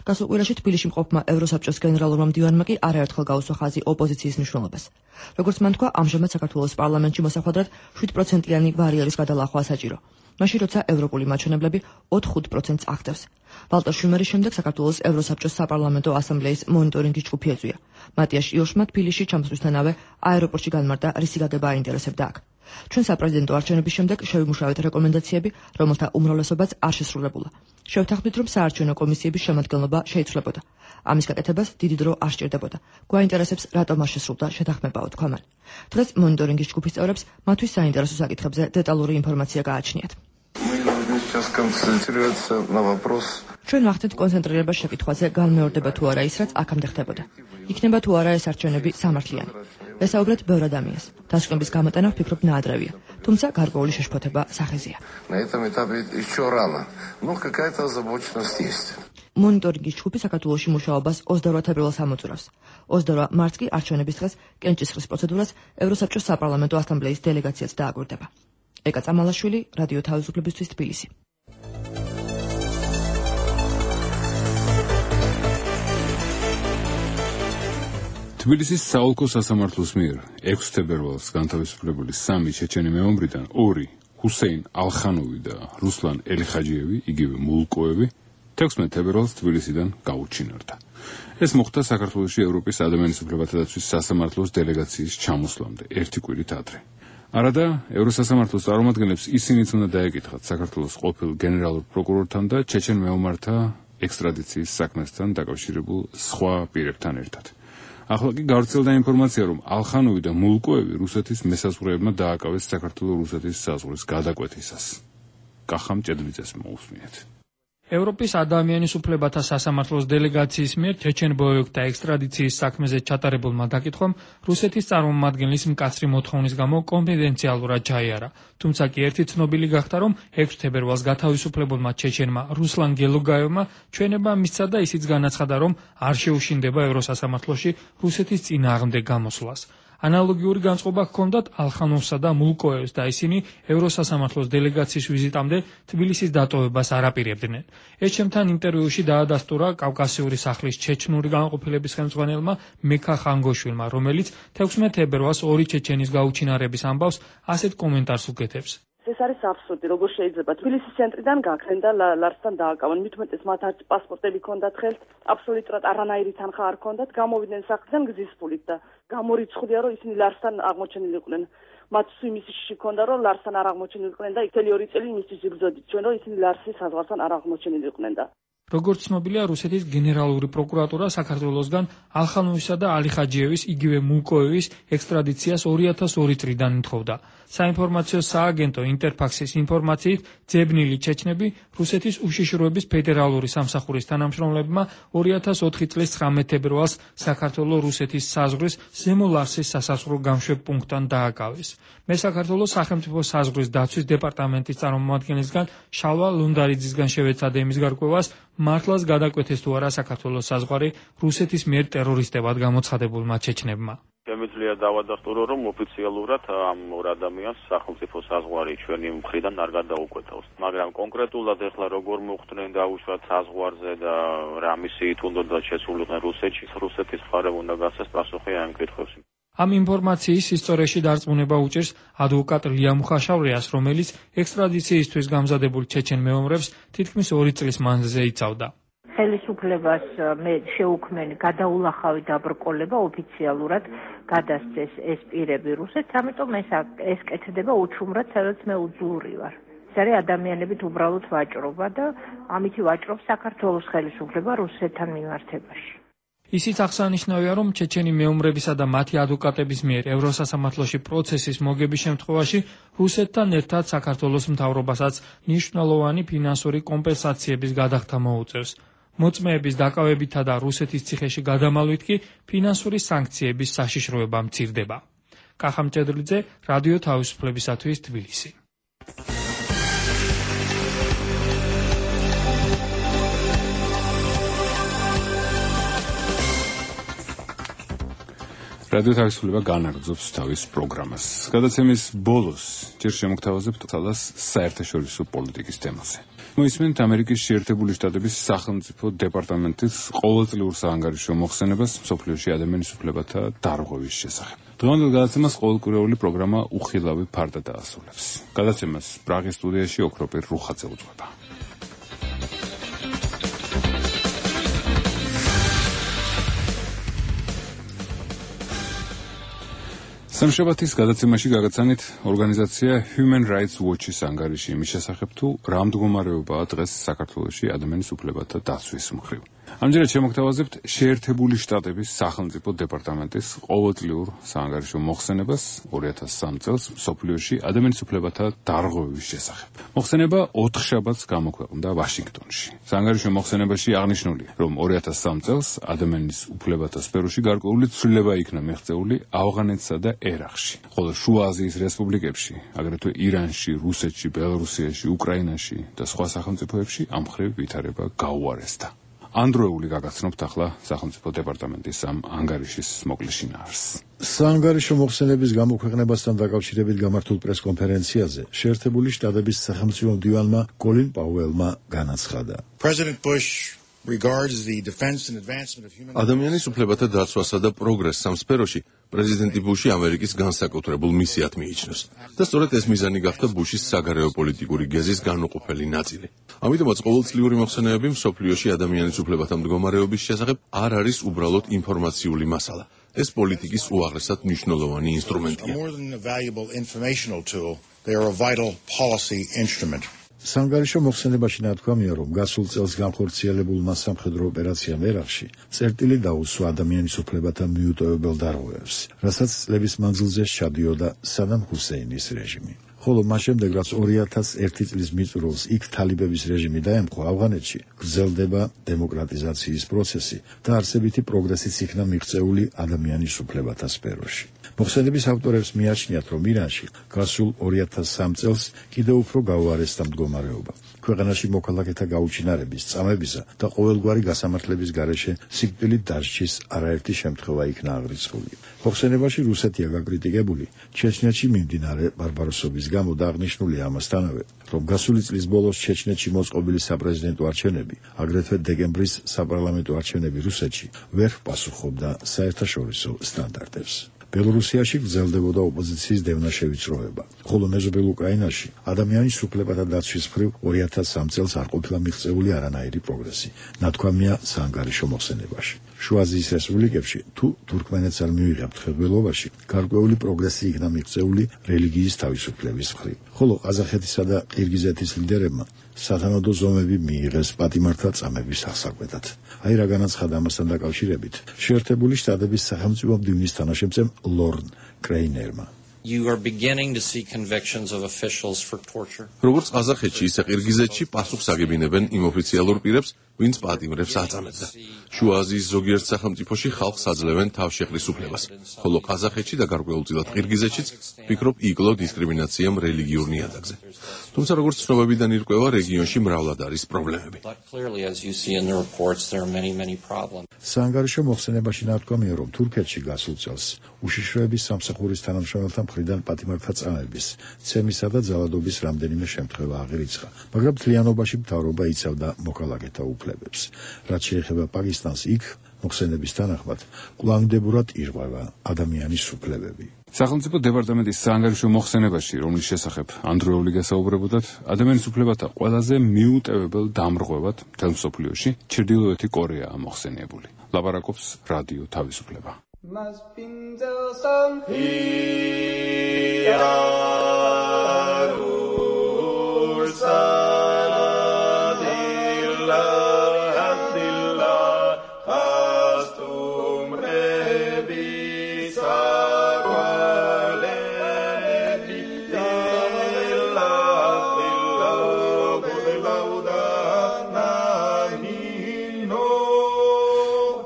გასულ კვირაში თბილისში მყოფმა ევროსაბჭოს გენერალურმა მდივანმა კი არაერთხელ გაუსვა ხაზი ოპოზიციის მნიშვნელობას. როგორც მან თქვა, ამჟამად საქართველოს პარლამენტში მოსახვედრად 7%-იანი ბარიერის გადალახვა საჭირო. მაშინ როცა ევროპული მაჩვენებლები 4-5%-ს აღწევს. ვალტერ შუმერის შემდეგ საქართველოს ევროსაბჭოს საპარლამენტო ასამბლეის მონიტორინგის ჯგუფი ეწვია. მატიაშ იორშმა თბილისში ჩამოსვლისთანავე აეროპორტში განმარტა, რისი გაგება აინტერესებდა აქ. ჩვენ საპრეზიდენტო არჩევნების შემდეგ შევიმუშავეთ რეკომენდაციები, რომელთა უმრავლესობაც არ შესრულებულა. შევთანხმდით, რომ საარჩევნო კომისიების შემადგენლობა შეიცვლებოდა. ამის გაკეთებას დიდი დრო არ სჭირდებოდა. გვაინტერესებს, რატომ არ შესრულდა შეთანხმებაო, თქვა მან. დღეს მონიტორინგის ჯგუფის წევრებს მათთვის საინტერესო საკითხებზე დეტალური ინფორმაცია გააჩნიათ. ჩვენ ვახდენთ კონცენტრირებას შეკითხვაზე, განმეორდება თუ არა ის, რაც აქამდე ხდებოდა. იქნება თუ არა ეს არჩევნები სამართლიანი. ვესაუბრეთ ბევრ ადამიანს. დასკვნების გამოტანა ვფიქრობ ნაადრევია. თუმცა გარკვეული შეშფოთება სახეზეა. На этом этапе еще рано, но какая-то озабоченность есть. მონიტორინგის ჯგუფი საქართველოში მუშაობას 28 თებერვალს ამოწურავს. 28 მარტს კი არჩევნების დღეს კენჭისყრის პროცედურას ევროსაბჭოს საპარლამენტო ასამბლეის დელეგაციაც დააკვირდება. ეკა წამალაშვილი, რადიო თავისუფლებისთვის თბილისი. თბილისის საოლქო სასამართლოს მიერ 6 თებერვალს განთავისუფლებული 3 ჩეჩენი მეომრიდან 2 ჰუსეინ ალხანოვი და რუსლან ელიხაჯიევი, იგივე მულკოევი 16 თებერვალს თბილისიდან გაუჩინარდა. ეს მოხდა საქართველოში ევროპის ადამიანის უფლებათა დაცვის სასამართლოს დელეგაციის ჩამოსვლამდე, ერთი კვირით ადრე. არადა ევროსასამართლოს წარმომადგენლებს ისინიც უნდა დაეკითხათ საქართველოს ყოფილ გენერალურ პროკურორთან და ჩეჩენ მეომართა ექსტრადიციის საქმესთან დაკავშირებულ სხვა პირებთან ერთად. ახლა კი გავრცელდა ინფორმაცია, რომ ალხანოვი და მულკოევი რუსეთის მესაზღვრეებმა დააკავეს საქართველოს-რუსეთის საზღვრის გადაკვეთისას. კახამ ჭედლიძეს მოусმინეთ. ევროპის ადამიანის უფლებათა სასამართლოს დელეგაციის მიერ ჩეჩენ ბოევიკთა ექსტრადიციის საქმეზე ჩატარებულმა დაკითხვამ რუსეთის წარმომადგენლის მკაცრი მოთხოვნის გამო კონფიდენციალურად ჩაიარა. თუმცა კი ერთი ცნობილი გახდა, რომ 6 თებერვალს გათავისუფლებულმა ჩეჩენმა რუსლან გელოგაევმა ჩვენება მისცა და ისიც განაცხადა, რომ არ შეუშინდება ევროსასამართლოში რუსეთის წინააღმდეგ გამოსვლას. ანალოგიური განწყობა ჰქონდათ ალხანოვსა და მულკოევს და ისინი ევროსასამართლოს დელეგაციის ვიზიტამდე თბილისის დატოვებას არ აპირებდნენ. ეჩემთან ინტერვიუში დაადასტურა კავკასიური სახლის ჩეჩნური განყოფილების ხელმძღვანელმა მეკა ხანგოშვილმა, რომელიც 16 თებერვალს 2 ჩეჩენის გაუჩინარების ამბავს ასეთ კომენტარს უკეთებს. ეს არის აბსურდი, როგორ შეიძლება თბილისის ცენტრიდან გაქრენ და ლარსთან დააკავონ. მით უმეტეს მათ არც პასპორტები ჰქონდათ ხელთ, აბსოლუტურად არანაირი თანხა არ ჰქონდათ, გამოვიდნენ სახლიდან გზის ფულით და გამორიცხულია, რომ ისინი ლარსთან აღმოჩენილიყვნენ. მათ იმისი ჰქონდა, რომ ლარსთან არ აღმოჩენილიყვნენ და მთელი 2 წელი იმისთვის იბრძოდით ჩვენ, რომ ისინი ლარსის საზღვართან არ აღმოჩენილიყვნენ და როგორც ცნობილია, რუსეთის გენერალური პროკურატურა საქართველოსგან ალხანოვისა და ალიხაჯიევის, იგივე მულკოევის ექსტრადიციას 2002 წლიდან ითხოვდა. საინფორმაციო სააგენტო ინტერფაქსის ინფორმაციით, ძებნილი ჩეჩნები რუსეთის უშიშროების ფედერალური სამსახურის თანამშრომლებმა 2004 წლის 19 თებერვალს საქართველოს-რუსეთის საზღვრის ზემო ლარსის სასაზღვრო გამშვებ პუნქტთან დააკავეს. მე საქართველოს სახელმწიფო საზღვრის დაცვის დეპარტამენტის წარმომადგენლისგან შალვა ლუნდარიძისგან შევეცადე იმის გარკვევას, მართლაც გადაკვეთეს თუ არა საქართველოს საზღვარი რუსეთის მიერ ტერორისტებად გამოცხადებულმა ჩეჩნებმა. შემიძლია დავადასტურო, რომ ოფიციალურად ამ ორ ადამიანს სახელმწიფო საზღვარი ჩვენი მხრიდან არ გადაუკვეთავს. მაგრამ კონკრეტულად ეხლა როგორ მოხდნენ დაუშვათ საზღვარზე და რა მისიით უნდა შესულიყვნენ რუსეთში, რუსეთის მხარემ უნდა გასცეს პასუხი ამ კითხვებს. ამ ინფორმაციის ისტორიაში დარწმუნება უჭერს ადვოკატ ლია მუხაშავრიას, რომელიც ექსტრადიციისთვის გამზადებულ ჩეჩენ მეომრებს თითქმის 2 წლის მანძილზე იცავდა. ხელისუფლებას მე შეუქმენი გადაულახავი დაბრკოლება ოფიციალურად გადასცეს ეს პირები რუსეთს, ამიტომ ეს კეთდება უჩუმრად, სადაც მე უძულრი ვარ. ეს არის ადამიანებით უბრალოდ ვაჭრობა და ამითი ვაჭრობს საქართველოს ხელისუფლება რუსეთთან მიმართებაში. ისიც აღსანიშნავია, რომ ჩეჩენი მეომრებისა და მათი ადვოკატების მიერ ევროსასამართლოში პროცესის მოგების შემთხვევაში რუსეთთან ერთად საქართველოს მთავრობასაც მნიშვნელოვანი ფინანსური კომპენსაციების გადახდა მოუწევს. მოწმეების დაკავებითა და რუსეთის ციხეში გადამალვით კი ფინანსური სანქციების საშიშროება მცირდება. კახამ ჭედლიძე, რადიო თავისუფლებისათვის თბილისი. რადიო თავისუფლება განაგრძობს თავის პროგრამას. გადაცემის ბოლოს ჯერ შემოგთავაზებთ თალას საერთაშორისო პოლიტიკის თემაზე. მოისმენთ ამერიკის შეერთებული შტატების სახელმწიფო დეპარტამენტის ყოველწლიურ საანგარიშო მოხსენებას მსოფლიოში ადამიანის უფლებათა დარღვევის შესახებ. დღევანდელ გადაცემას ყოველკვირეული პროგრამა უხილავი ფარდა დაასრულებს. გადაცემას პრაღის სტუდიაში ოქროპირ რუხაძე უძღვება. სამშაბათის გადაცემაში გაგაცანით ორგანიზაცია Human Rights Watch-ის ანგარიში იმის შესახებ, თუ რა მდგომარეობაა დღეს საქართველოში ადამიანის უფლებათა დაცვის მხრივ. ამჯერად შემოგთავაზებთ შეერთებული შტატების სახელმწიფო დეპარტამენტის ყოველწლიურ საანგარიშო მოხსენებას 2003 წელს მსოფლიოში ადამიანის უფლებათა დარღვევის შესახებ. მოხსენება 4 შაბათს გამოქვეყნდა ვაშინგტონში. საანგარიშო მოხსენებაში აღნიშნულია, რომ 2003 წელს ადამიანის უფლებათა სფეროში გარკვეული ცვლილება იქნა მიღწეული ავღანეთსა და ერაყში, ხოლო შუა აზიის რესპუბლიკებში, აგრეთვე ირანში, რუსეთში, ბელორუსიაში, უკრაინაში და სხვა სახელმწიფოებში ამ მხრივ ვითარება გაუარესდა. ანდროეული გაგაცნობთ ახლა სახელმწიფო დეპარტამენტის ამ ანგარიშის მოკლე შინაარსს. საანგარიშო მოხსენების გამოქვეყნებასთან დაკავშირებით გამართულ პრესკონფერენციაზე შეერთებული შტატების სახელმწიფო მდივანმა კოლინ პაუელმა განაცხადა. ადამიანის უფლებათა დაცვასა და პროგრესს ამ სფეროში პრეზიდენტი ბუში ამერიკის განსაკუთრებულ მისიად მიიჩნევს და სწორედ ეს მიზანი გახდა ბუშის საგარეო პოლიტიკური გეზის განუყოფელი ნაწილი. ამიტომაც ყოველწლიური მოხსენებები მსოფლიოში ადამიანის უფლებათა მდგომარეობის შესახებ არ არის უბრალოდ ინფორმაციული მასალა. ეს პოლიტიკის უაღრესად მნიშვნელოვანი ინსტრუმენტია. საანგარიშო მოხსენებაში ნათქვამია, რომ გასულ წელს განხორციელებულმა სამხედრო ოპერაციამ ერაყში წერტილი დაუსვა ადამიანის უფლებათა მიუტოვებელ დარღვევებს, რასაც წლების მანძილზე სჩადიოდა სადამ ჰუსეინის რეჟიმი. ხოლო მას შემდეგ, რაც 2001 წლის მიწურულს იქ თალიბების რეჟიმი დაემხვა ავღანეთში, გრძელდება დემოკრატიზაციის პროცესი და არსებითი პროგრესიც იქნა მიღწეული ადამიანის უფლებათა სფეროში. მოხსენების ავტორებს მიაჩნიათ, რომ ირანში გასულ 2003 წელს კიდევ უფრო გაუარესდა მდგომარეობა. ქვეყანაში მოქალაქეთა გაუჩინარების, წამებისა და ყოველგვარი გასამართლების გარეშე სიკვდილით დასჯის არაერთი შემთხვევა იქნა აღრიცხული. მოხსენებაში რუსეთია გაკრიტიკებული ჩეჩნეთში მიმდინარე ბარბაროსობის გამო და აღნიშნულია ამასთანავე, რომ გასული წლის ბოლოს ჩეჩნეთში მოწყობილი საპრეზიდენტო არჩევნები, აგრეთვე დეკემბრის საპარლამენტო არჩევნები რუსეთში ვერ პასუხობდა საერთაშორისო სტანდარტებს. ბელორუსიაში გრძელდებოდა ოპოზიციის დევნა შევიწროება, ხოლო მეზობელ უკრაინაში ადამიანის უფლებათა დაცვის მხრივ 2003 წელს არ ყოფილა მიღწეული არანაირი პროგრესი, ნათქვამია საანგარიშო მოხსენებაში. შუა აზიის რესპუბლიკებში თუ თურქმენეთს არ მივიღებთ ხელმძღვანელობაში, გარკვეული პროგრესი იქნა მიღწეული რელიგიის თავისუფლების მხრივ, ხოლო ყაზახეთისა და ყირგიზეთის ლიდერებმა სათანადო ზომები მიიღეს პატიმართა წამების აღსაკვეთად. აი რა განაცხადა ამასთან დაკავშირებით შეერთებული შტატების სახელმწიფო მდივნის თანაშემწე ლორნ კრეინერმა. You are beginning to see convictions of officials for torture. როგორც ყაზახეთში, ისე ყირგიზეთში პასუხს აგებინებენ იმ ოფიციალურ პირებს, ვინც პატიმრებს აწამებდა. შუა აზიის ზოგიერთ სახელმწიფოში ხალხს აძლევენ თავშეყრის უფლებას, ხოლო ყაზახეთში და გარკვეულწილად ყირგიზეთშიც ვფიქრობ იკლო დისკრიმინაციამ რელიგიურ ნიადაგზე. თუმცა როგორც ცნობებიდან ირკვევა, რეგიონში მრავლად არის პრობლემები. საანგარიშო მოხსენებაში ნათქვამია, რომ თურქეთში გასულ წელს უშიშროების სამსახურის თანამშრომელთა მხრიდან პატიმართა წამების, ცემისა და ძალადობის რამდენიმე შემთხვევა აღირიცხა, მაგრამ მთლიანობაში მთავრობა იცავდა მოქალაქეთა უფლებებს. რაც შეეხება პაკისტანს, იქ მოხსენების თანახმად კვლავინდებურად ირღვევა ადამიანის უფლებები. სახელმწიფო დეპარტამენტის საანგარიშო მოხსენებაში, რომლის შესახებ ანდროეული გასაუბრებოდათ, ადამიანის უფლებათა ყველაზე მიუტევებელ დამრღვევად მთელ მსოფლიოში ჩრდილოეთი კორეაა მოხსენიებული. ლაპარაკობს რადიო თავისუფლება.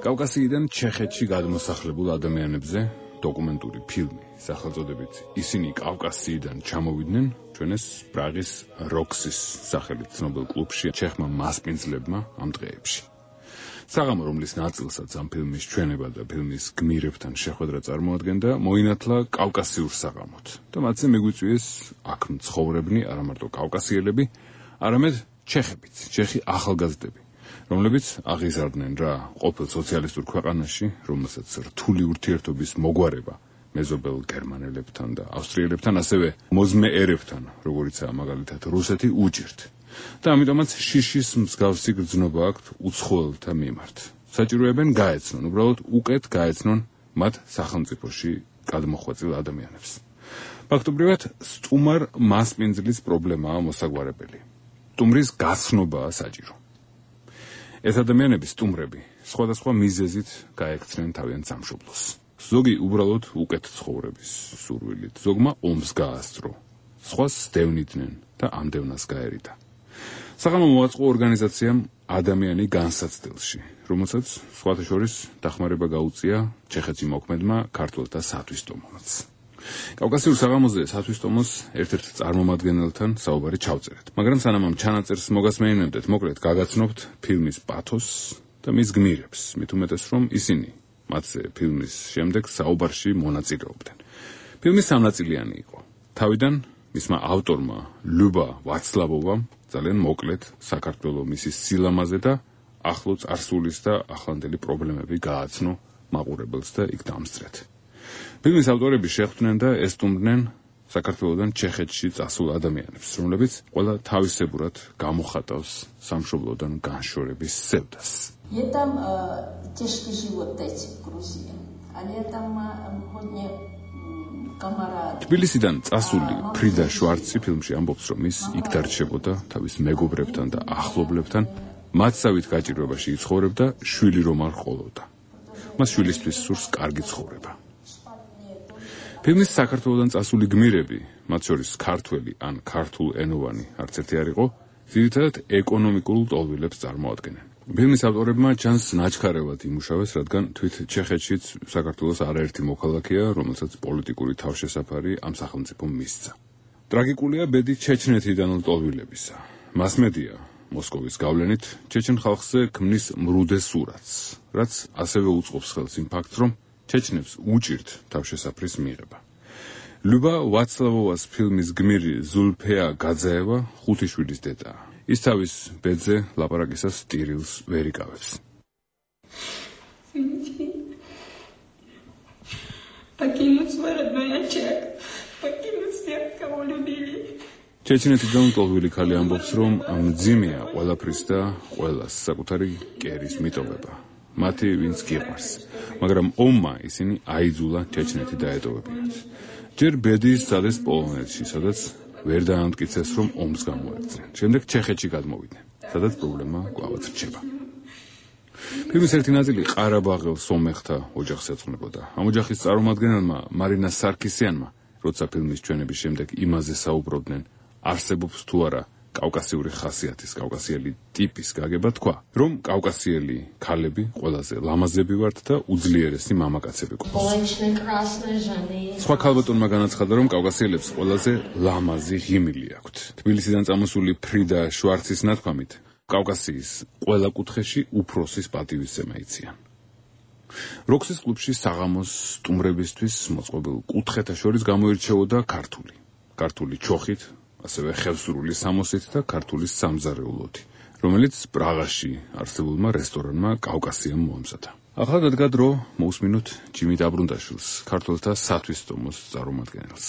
კავკასიიდან ჩეხეთში გადმოსახლებულ ადამიანებზე დოკუმენტური ფილმი სახელწოდებით ისინი კავკასიიდან ჩამოვიდნენ ჩვენეს პრაღის როქსის სახელით ცნობილ კლუბში ჩეხმა მასპინძლებმა ამ დღეებში. საღამო, რომლის ნაწილსაც ამ ფილმის ჩვენება და ფილმის გმირებთან შეხვედრა წარმოადგენდა, მოინათლა კავკასიურ საღამოთ და მათზე მიგვიწვიეს აქ მცხოვრებნი არა მარტო კავკასიელები, არამედ ჩეხებიც, ჩეხი ახალგაზრდები, რომლებიც აღიზარდნენ რა ყოფილ სოციალისტურ ქვეყანაში, რომელსაც რთული ურთიერთობის მოგვარება მეზობელ გერმანელებთან და ავსტრიელებთან, ასევე მოზმეერებთან, როგორიცაა მაგალითად რუსეთი, უჭირთ. და ამიტომაც შიშის მსგავსი გრძნობა აქვთ უცხოელთა მიმართ. საჭიროებენ გაეცნონ, უბრალოდ უკეთ გაეცნონ მათ სახელმწიფოში გადმოხვეწილ ადამიანებს. ფაქტობრივად, სტუმარ მასპინძლის პრობლემაა მოსაგვარებელი. სტუმრის გაცნობაა საჭირო. ეს ადამიანები სტუმრები სხვადასხვა მიზეზით გაექცნენ თავიანთ სამშობლოს. ზოგი უბრალოდ უკეთ ცხოვრების სურვილით, ზოგმა ომს გაასწრო, სხვა სდევნიდნენ და ამდევნას გაერიდა. საღამო მოაწყო ორგანიზაციამ ადამიანი განსაცდელში, რომელსაც სხვათა შორის დახმარება გაუწია ჩეხეთში მოქმედმა ქართველთა სათვისტომოც. კავკასიურ საღამოზე სათვისტომოს ერთ-ერთ წარმომადგენელთან საუბარი ჩავწერეთ, მაგრამ სანამ ამ ჩანაწერს მოგასმეინებდეთ, მოკლედ გაგაცნობთ ფილმის პათოს და მის გმირებს, მით უმეტეს რომ ისინი მათზე ფილმის შემდეგ საუბარში მონაწილეობდნენ. ფილმი სამნაწილიანი იყო. თავიდან მისმა ავტორმა ლიუბა ვაცლავოვამ ძალიან მოკლედ საქართველოს მისის სილამაზე და ახლო წარსულის და ახლანდელი პრობლემები გააცნო მაყურებელს და იქ დამსწრეთ. ფილმის ავტორები შეხვდნენ და ესტუმრნენ საქართველოსდან ჩეხეთში წასულ ადამიანებს, რომლებიც ყველა თავისებურად გამოხატავს სამშობლოდან განშორების სევდას. Я там тяжкий живот дайте в Грузии. А я там hodně камарад. თბილისიდან წასული ფრიდა შვარცი ფილმში ამბობს, რომ ის იქ დარჩებოდა თავის მეგობრებთან და ახლობლებთან, მათსავით გაჭირვებაში იცხოვრებდა, შვილი რომ არ ჰყოლოდა. მას შვილისთვის სურს კარგი ცხოვრება. ფილმის საქართველოსდან წასული გმირები, მათ შორის ქართველი ან ქართულ ენოვანი არც ერთი არ იყო, ძირითადად ეკონომიკურ ტოლვილებს წარმოადგენენ. ფილმის ავტორებმა ჩანს ნაჩქარევად იმუშავეს, რადგან თვით ჩეხეთშიც საქართველოს არაერთი მოქალაქეა, რომელსაც პოლიტიკური თავშესაფარი ამ სახელმწიფომ მისცა. ტრაგიკულია ბედი ჩეჩნეთიდან ტოლვილებისა. მასმედია მოსკოვის გავლენით ჩეჩენ ხალხზე ქმნის მრუდე სურათს, რაც ასევე უწყობს ხელს იმ ფაქტს, რომ ჩეჩნებს უჭირთ თავშესაფრის მიღება. ლიუბა ვაცლავოვას ფილმის გმირი ზულფეა გაძაევა 5 შვილის დედაა. ის თავის ბედზე ლაპარაკისას ტირილს ვერ იკავებს. ჩეჩნეთიდან ტოლვილი ქალი ამბობს, რომ მძიმეა ყველაფრის და ყველას საკუთარი კერის მიტოვება. მათი ვინც გიყვარს, მაგრამ ომმა ისინი აიძულა ჩეჩნეთი დაეტოვებინათ. ჯერ ბედი სცადეს პოლონეთში, სადაც ვერ დაამტკიცეს, რომ ომს გამოექცნენ. შემდეგ ჩეხეთში გადმოვიდნენ, სადაც პრობლემა კვლავაც რჩება. ფილმის ერთი ნაწილი ყარაბაღელ სომეხთა ოჯახს ეძღვნებოდა. ამ ოჯახის წარმომადგენელმა მარინა სარკისიანმა, როცა ფილმის ჩვენების შემდეგ იმაზე საუბრობდნენ, არსებობს თუ არა კავკასიური ხასიათის, კავკასიელი ტიპის გაგება, თქვა, რომ კავკასიელი ქალები ყველაზე ლამაზები ვართ და უძლიერესი მამაკაცები გვყავს. სხვა ქალბატონმა განაცხადა, რომ კავკასიელებს ყველაზე ლამაზი ღიმილი აქვთ. თბილისიდან წამოსული ფრიდა შვარცის ნათქვამით, კავკასიის ყველა კუთხეში უფროსის პატივისცემა იციან. როქსის კლუბში საღამოს სტუმრებისთვის მოწყობილ კუთხეთა შორის გამოირჩეოდა ქართული ჩოხით, ასევე ხევსურული სამოსით და ქართული სამზარეულოთი, რომელიც პრაღაში არსებულმა რესტორანმა კავკასიამ მოამზადა. ახლა დადგა დრო მოусმინოთ ჯიმი დაბრუნდაშვილს, ქართველთა სათვისტომოს წარმომადგენელს.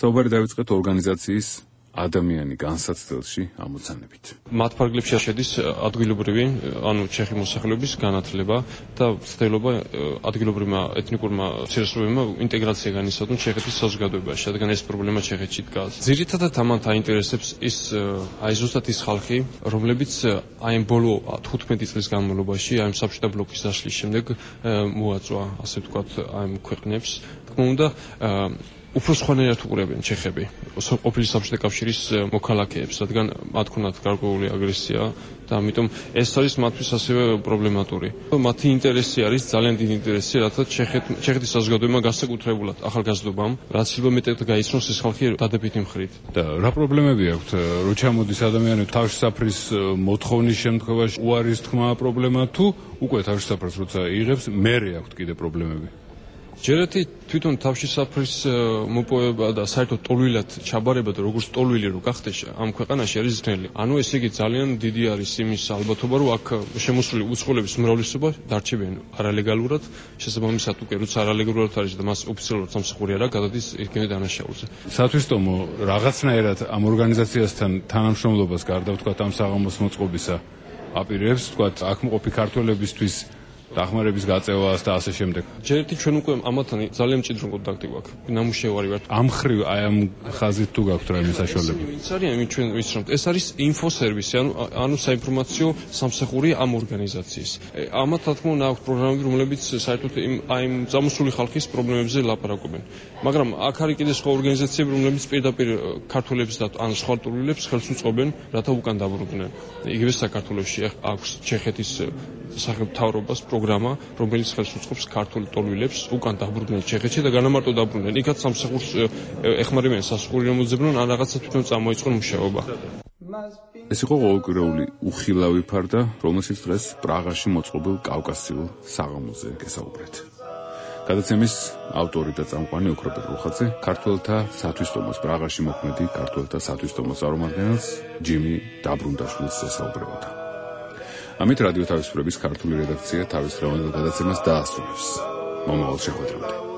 საუბარი დავიწყეთ ორგანიზაციის ადამიანი განსაცდელში ამოცანებით. მათ ფარგლებში შედის ადგილობრივი, ანუ ჩეხი მოსახლეობის განათლება და ცდილობა ადგილობრივმა ეთნიკურმა umumcirესობებმა ინტეგრაცია განიცადონ ჩეხეთის საზოგადოებაში, რადგან ეს პრობლემა ჩეხეთში დგას. ძირითადად ამათ აინტერესებს ის ზუსტად ის ხალხი, რომლებიც აი ამ ბოლო 15 წლის განმავლობაში, აი ამ საბჭოთა ბლოკის დაშლის შემდეგ მოაწვა, ასე ვთქვათ, აი ამ ქვეყნებს, თქმა უნდა, უფრო სხვანაირად უყურებენ ჩეხები ყოფილი საბჭოთა კავშირის მოქალაქეებს, რადგან მათ ქონათ გარკვეული აგრესია და ამიტომ ეს არის მათთვის ასევე პრობლემატური. მათი ინტერესი არის ძალიან დიდი ინტერესი, რათა ჩეხეთის საზოგადოება განსაკუთრებულად ახალგაზრდობამ, რაც შეიძლება მეტად გაიცნოს ეს ხალხი დადებითი მხრით. და რა პრობლემები აქვთ, რო ჩამოდის ადამიანები თავშესაფრის მოთხოვნის შემთხვევაში, უარის თქმა პრობლემა თუ უკვე თავშესაფრს როცა იღებს, მერე აქვთ კიდე პრობლემები? ჯერეთი თვითონ თავშესაფრის მოპოვება და საერთოდ ტოლვილად ჩაბარება და როგორც ტოლვილი რო გახდეს ამ ქვეყანაში არის ძნელი. ანუ ესე იგი ძალიან დიდი არის იმის ალბათობა, რომ აქ შემოსული უცხოელების უმრავლესობა დარჩებიან არალეგალურად, შესაბამისად უკვე როცა არალეგალურად არის და მას ოფიციალურად სამსახური არ აქვს, გადადის იქნებ დანაშაულზე. სათვისტომო რაღაცნაირად ამ ორგანიზაციასთან თანამშრომლობას გარდა ვთქვათ ამ საღამოს მოწყობისა აპირებს, ვთქვათ აქ მყოფი ქართველებისთვის დახმარების გაწევას და ასე შემდეგ. ჯერ ერთი ჩვენ უკვე ამათთან ძალიან მჭიდრო კონტაქტი გვაქვს. ნამუშევარი ვართ. ამ ხრივ აი ამ ხაზით თუ გაქვთ რაიმე საშუალება. ვინც არის ამით ჩვენ ვიცნობთ. ეს არის ინფოსერვისი, ანუ საინფორმაციო სამსახური ამ ორგანიზაციის. ამათ რა თქმა უნდა აქვს პროგრამები, რომლებიც საერთოდ იმ წამოსული ხალხის პრობლემებზე ლაპარაკობენ. მაგრამ აქ არის კიდე სხვა ორგანიზაციები, რომლებიც პირდაპირ ქართველებს და ან სხვა ტურისტებს ხელს უწყობენ, რათა უკან დაბრუნდნენ. იგივე საქართველოში აქვს ჩეხეთის სახელმწიფოს პროგრამა, რომელიც ხელს უწყობს ქართულ ტოლვილებს უკან დაბრუნდნენ ჩეხეთში და განამარტო დაბრუნდნენ. იქაც სამსახურს ეხმარებიან სასახური რომელზებნონ ან რაღაცა თვითონ წამოიწყონ მუშაობა. ეს იყო ყოველკვირეული უხილავი ფარდა, რომელშიც დღეს პრაღაში მოწყობილ კავკასიურ საღამოზე გესაუბრეთ. გადაცემის ავტორი და წამყვანი ოქროპერ რუხაძე, ქართველთა სათვისტომოს პრაღაში მოქმედი ქართველთა სათვისტომოს წარმომადგენელს ჯიმი დაბრუნდაშვილს ესაუბრებოდა. ამით რადიო თავისუფლების ქართული რედაქცია თავის დღევანდელ გადაცემას დაასრულებს. მომავალ შეხვედრამდე.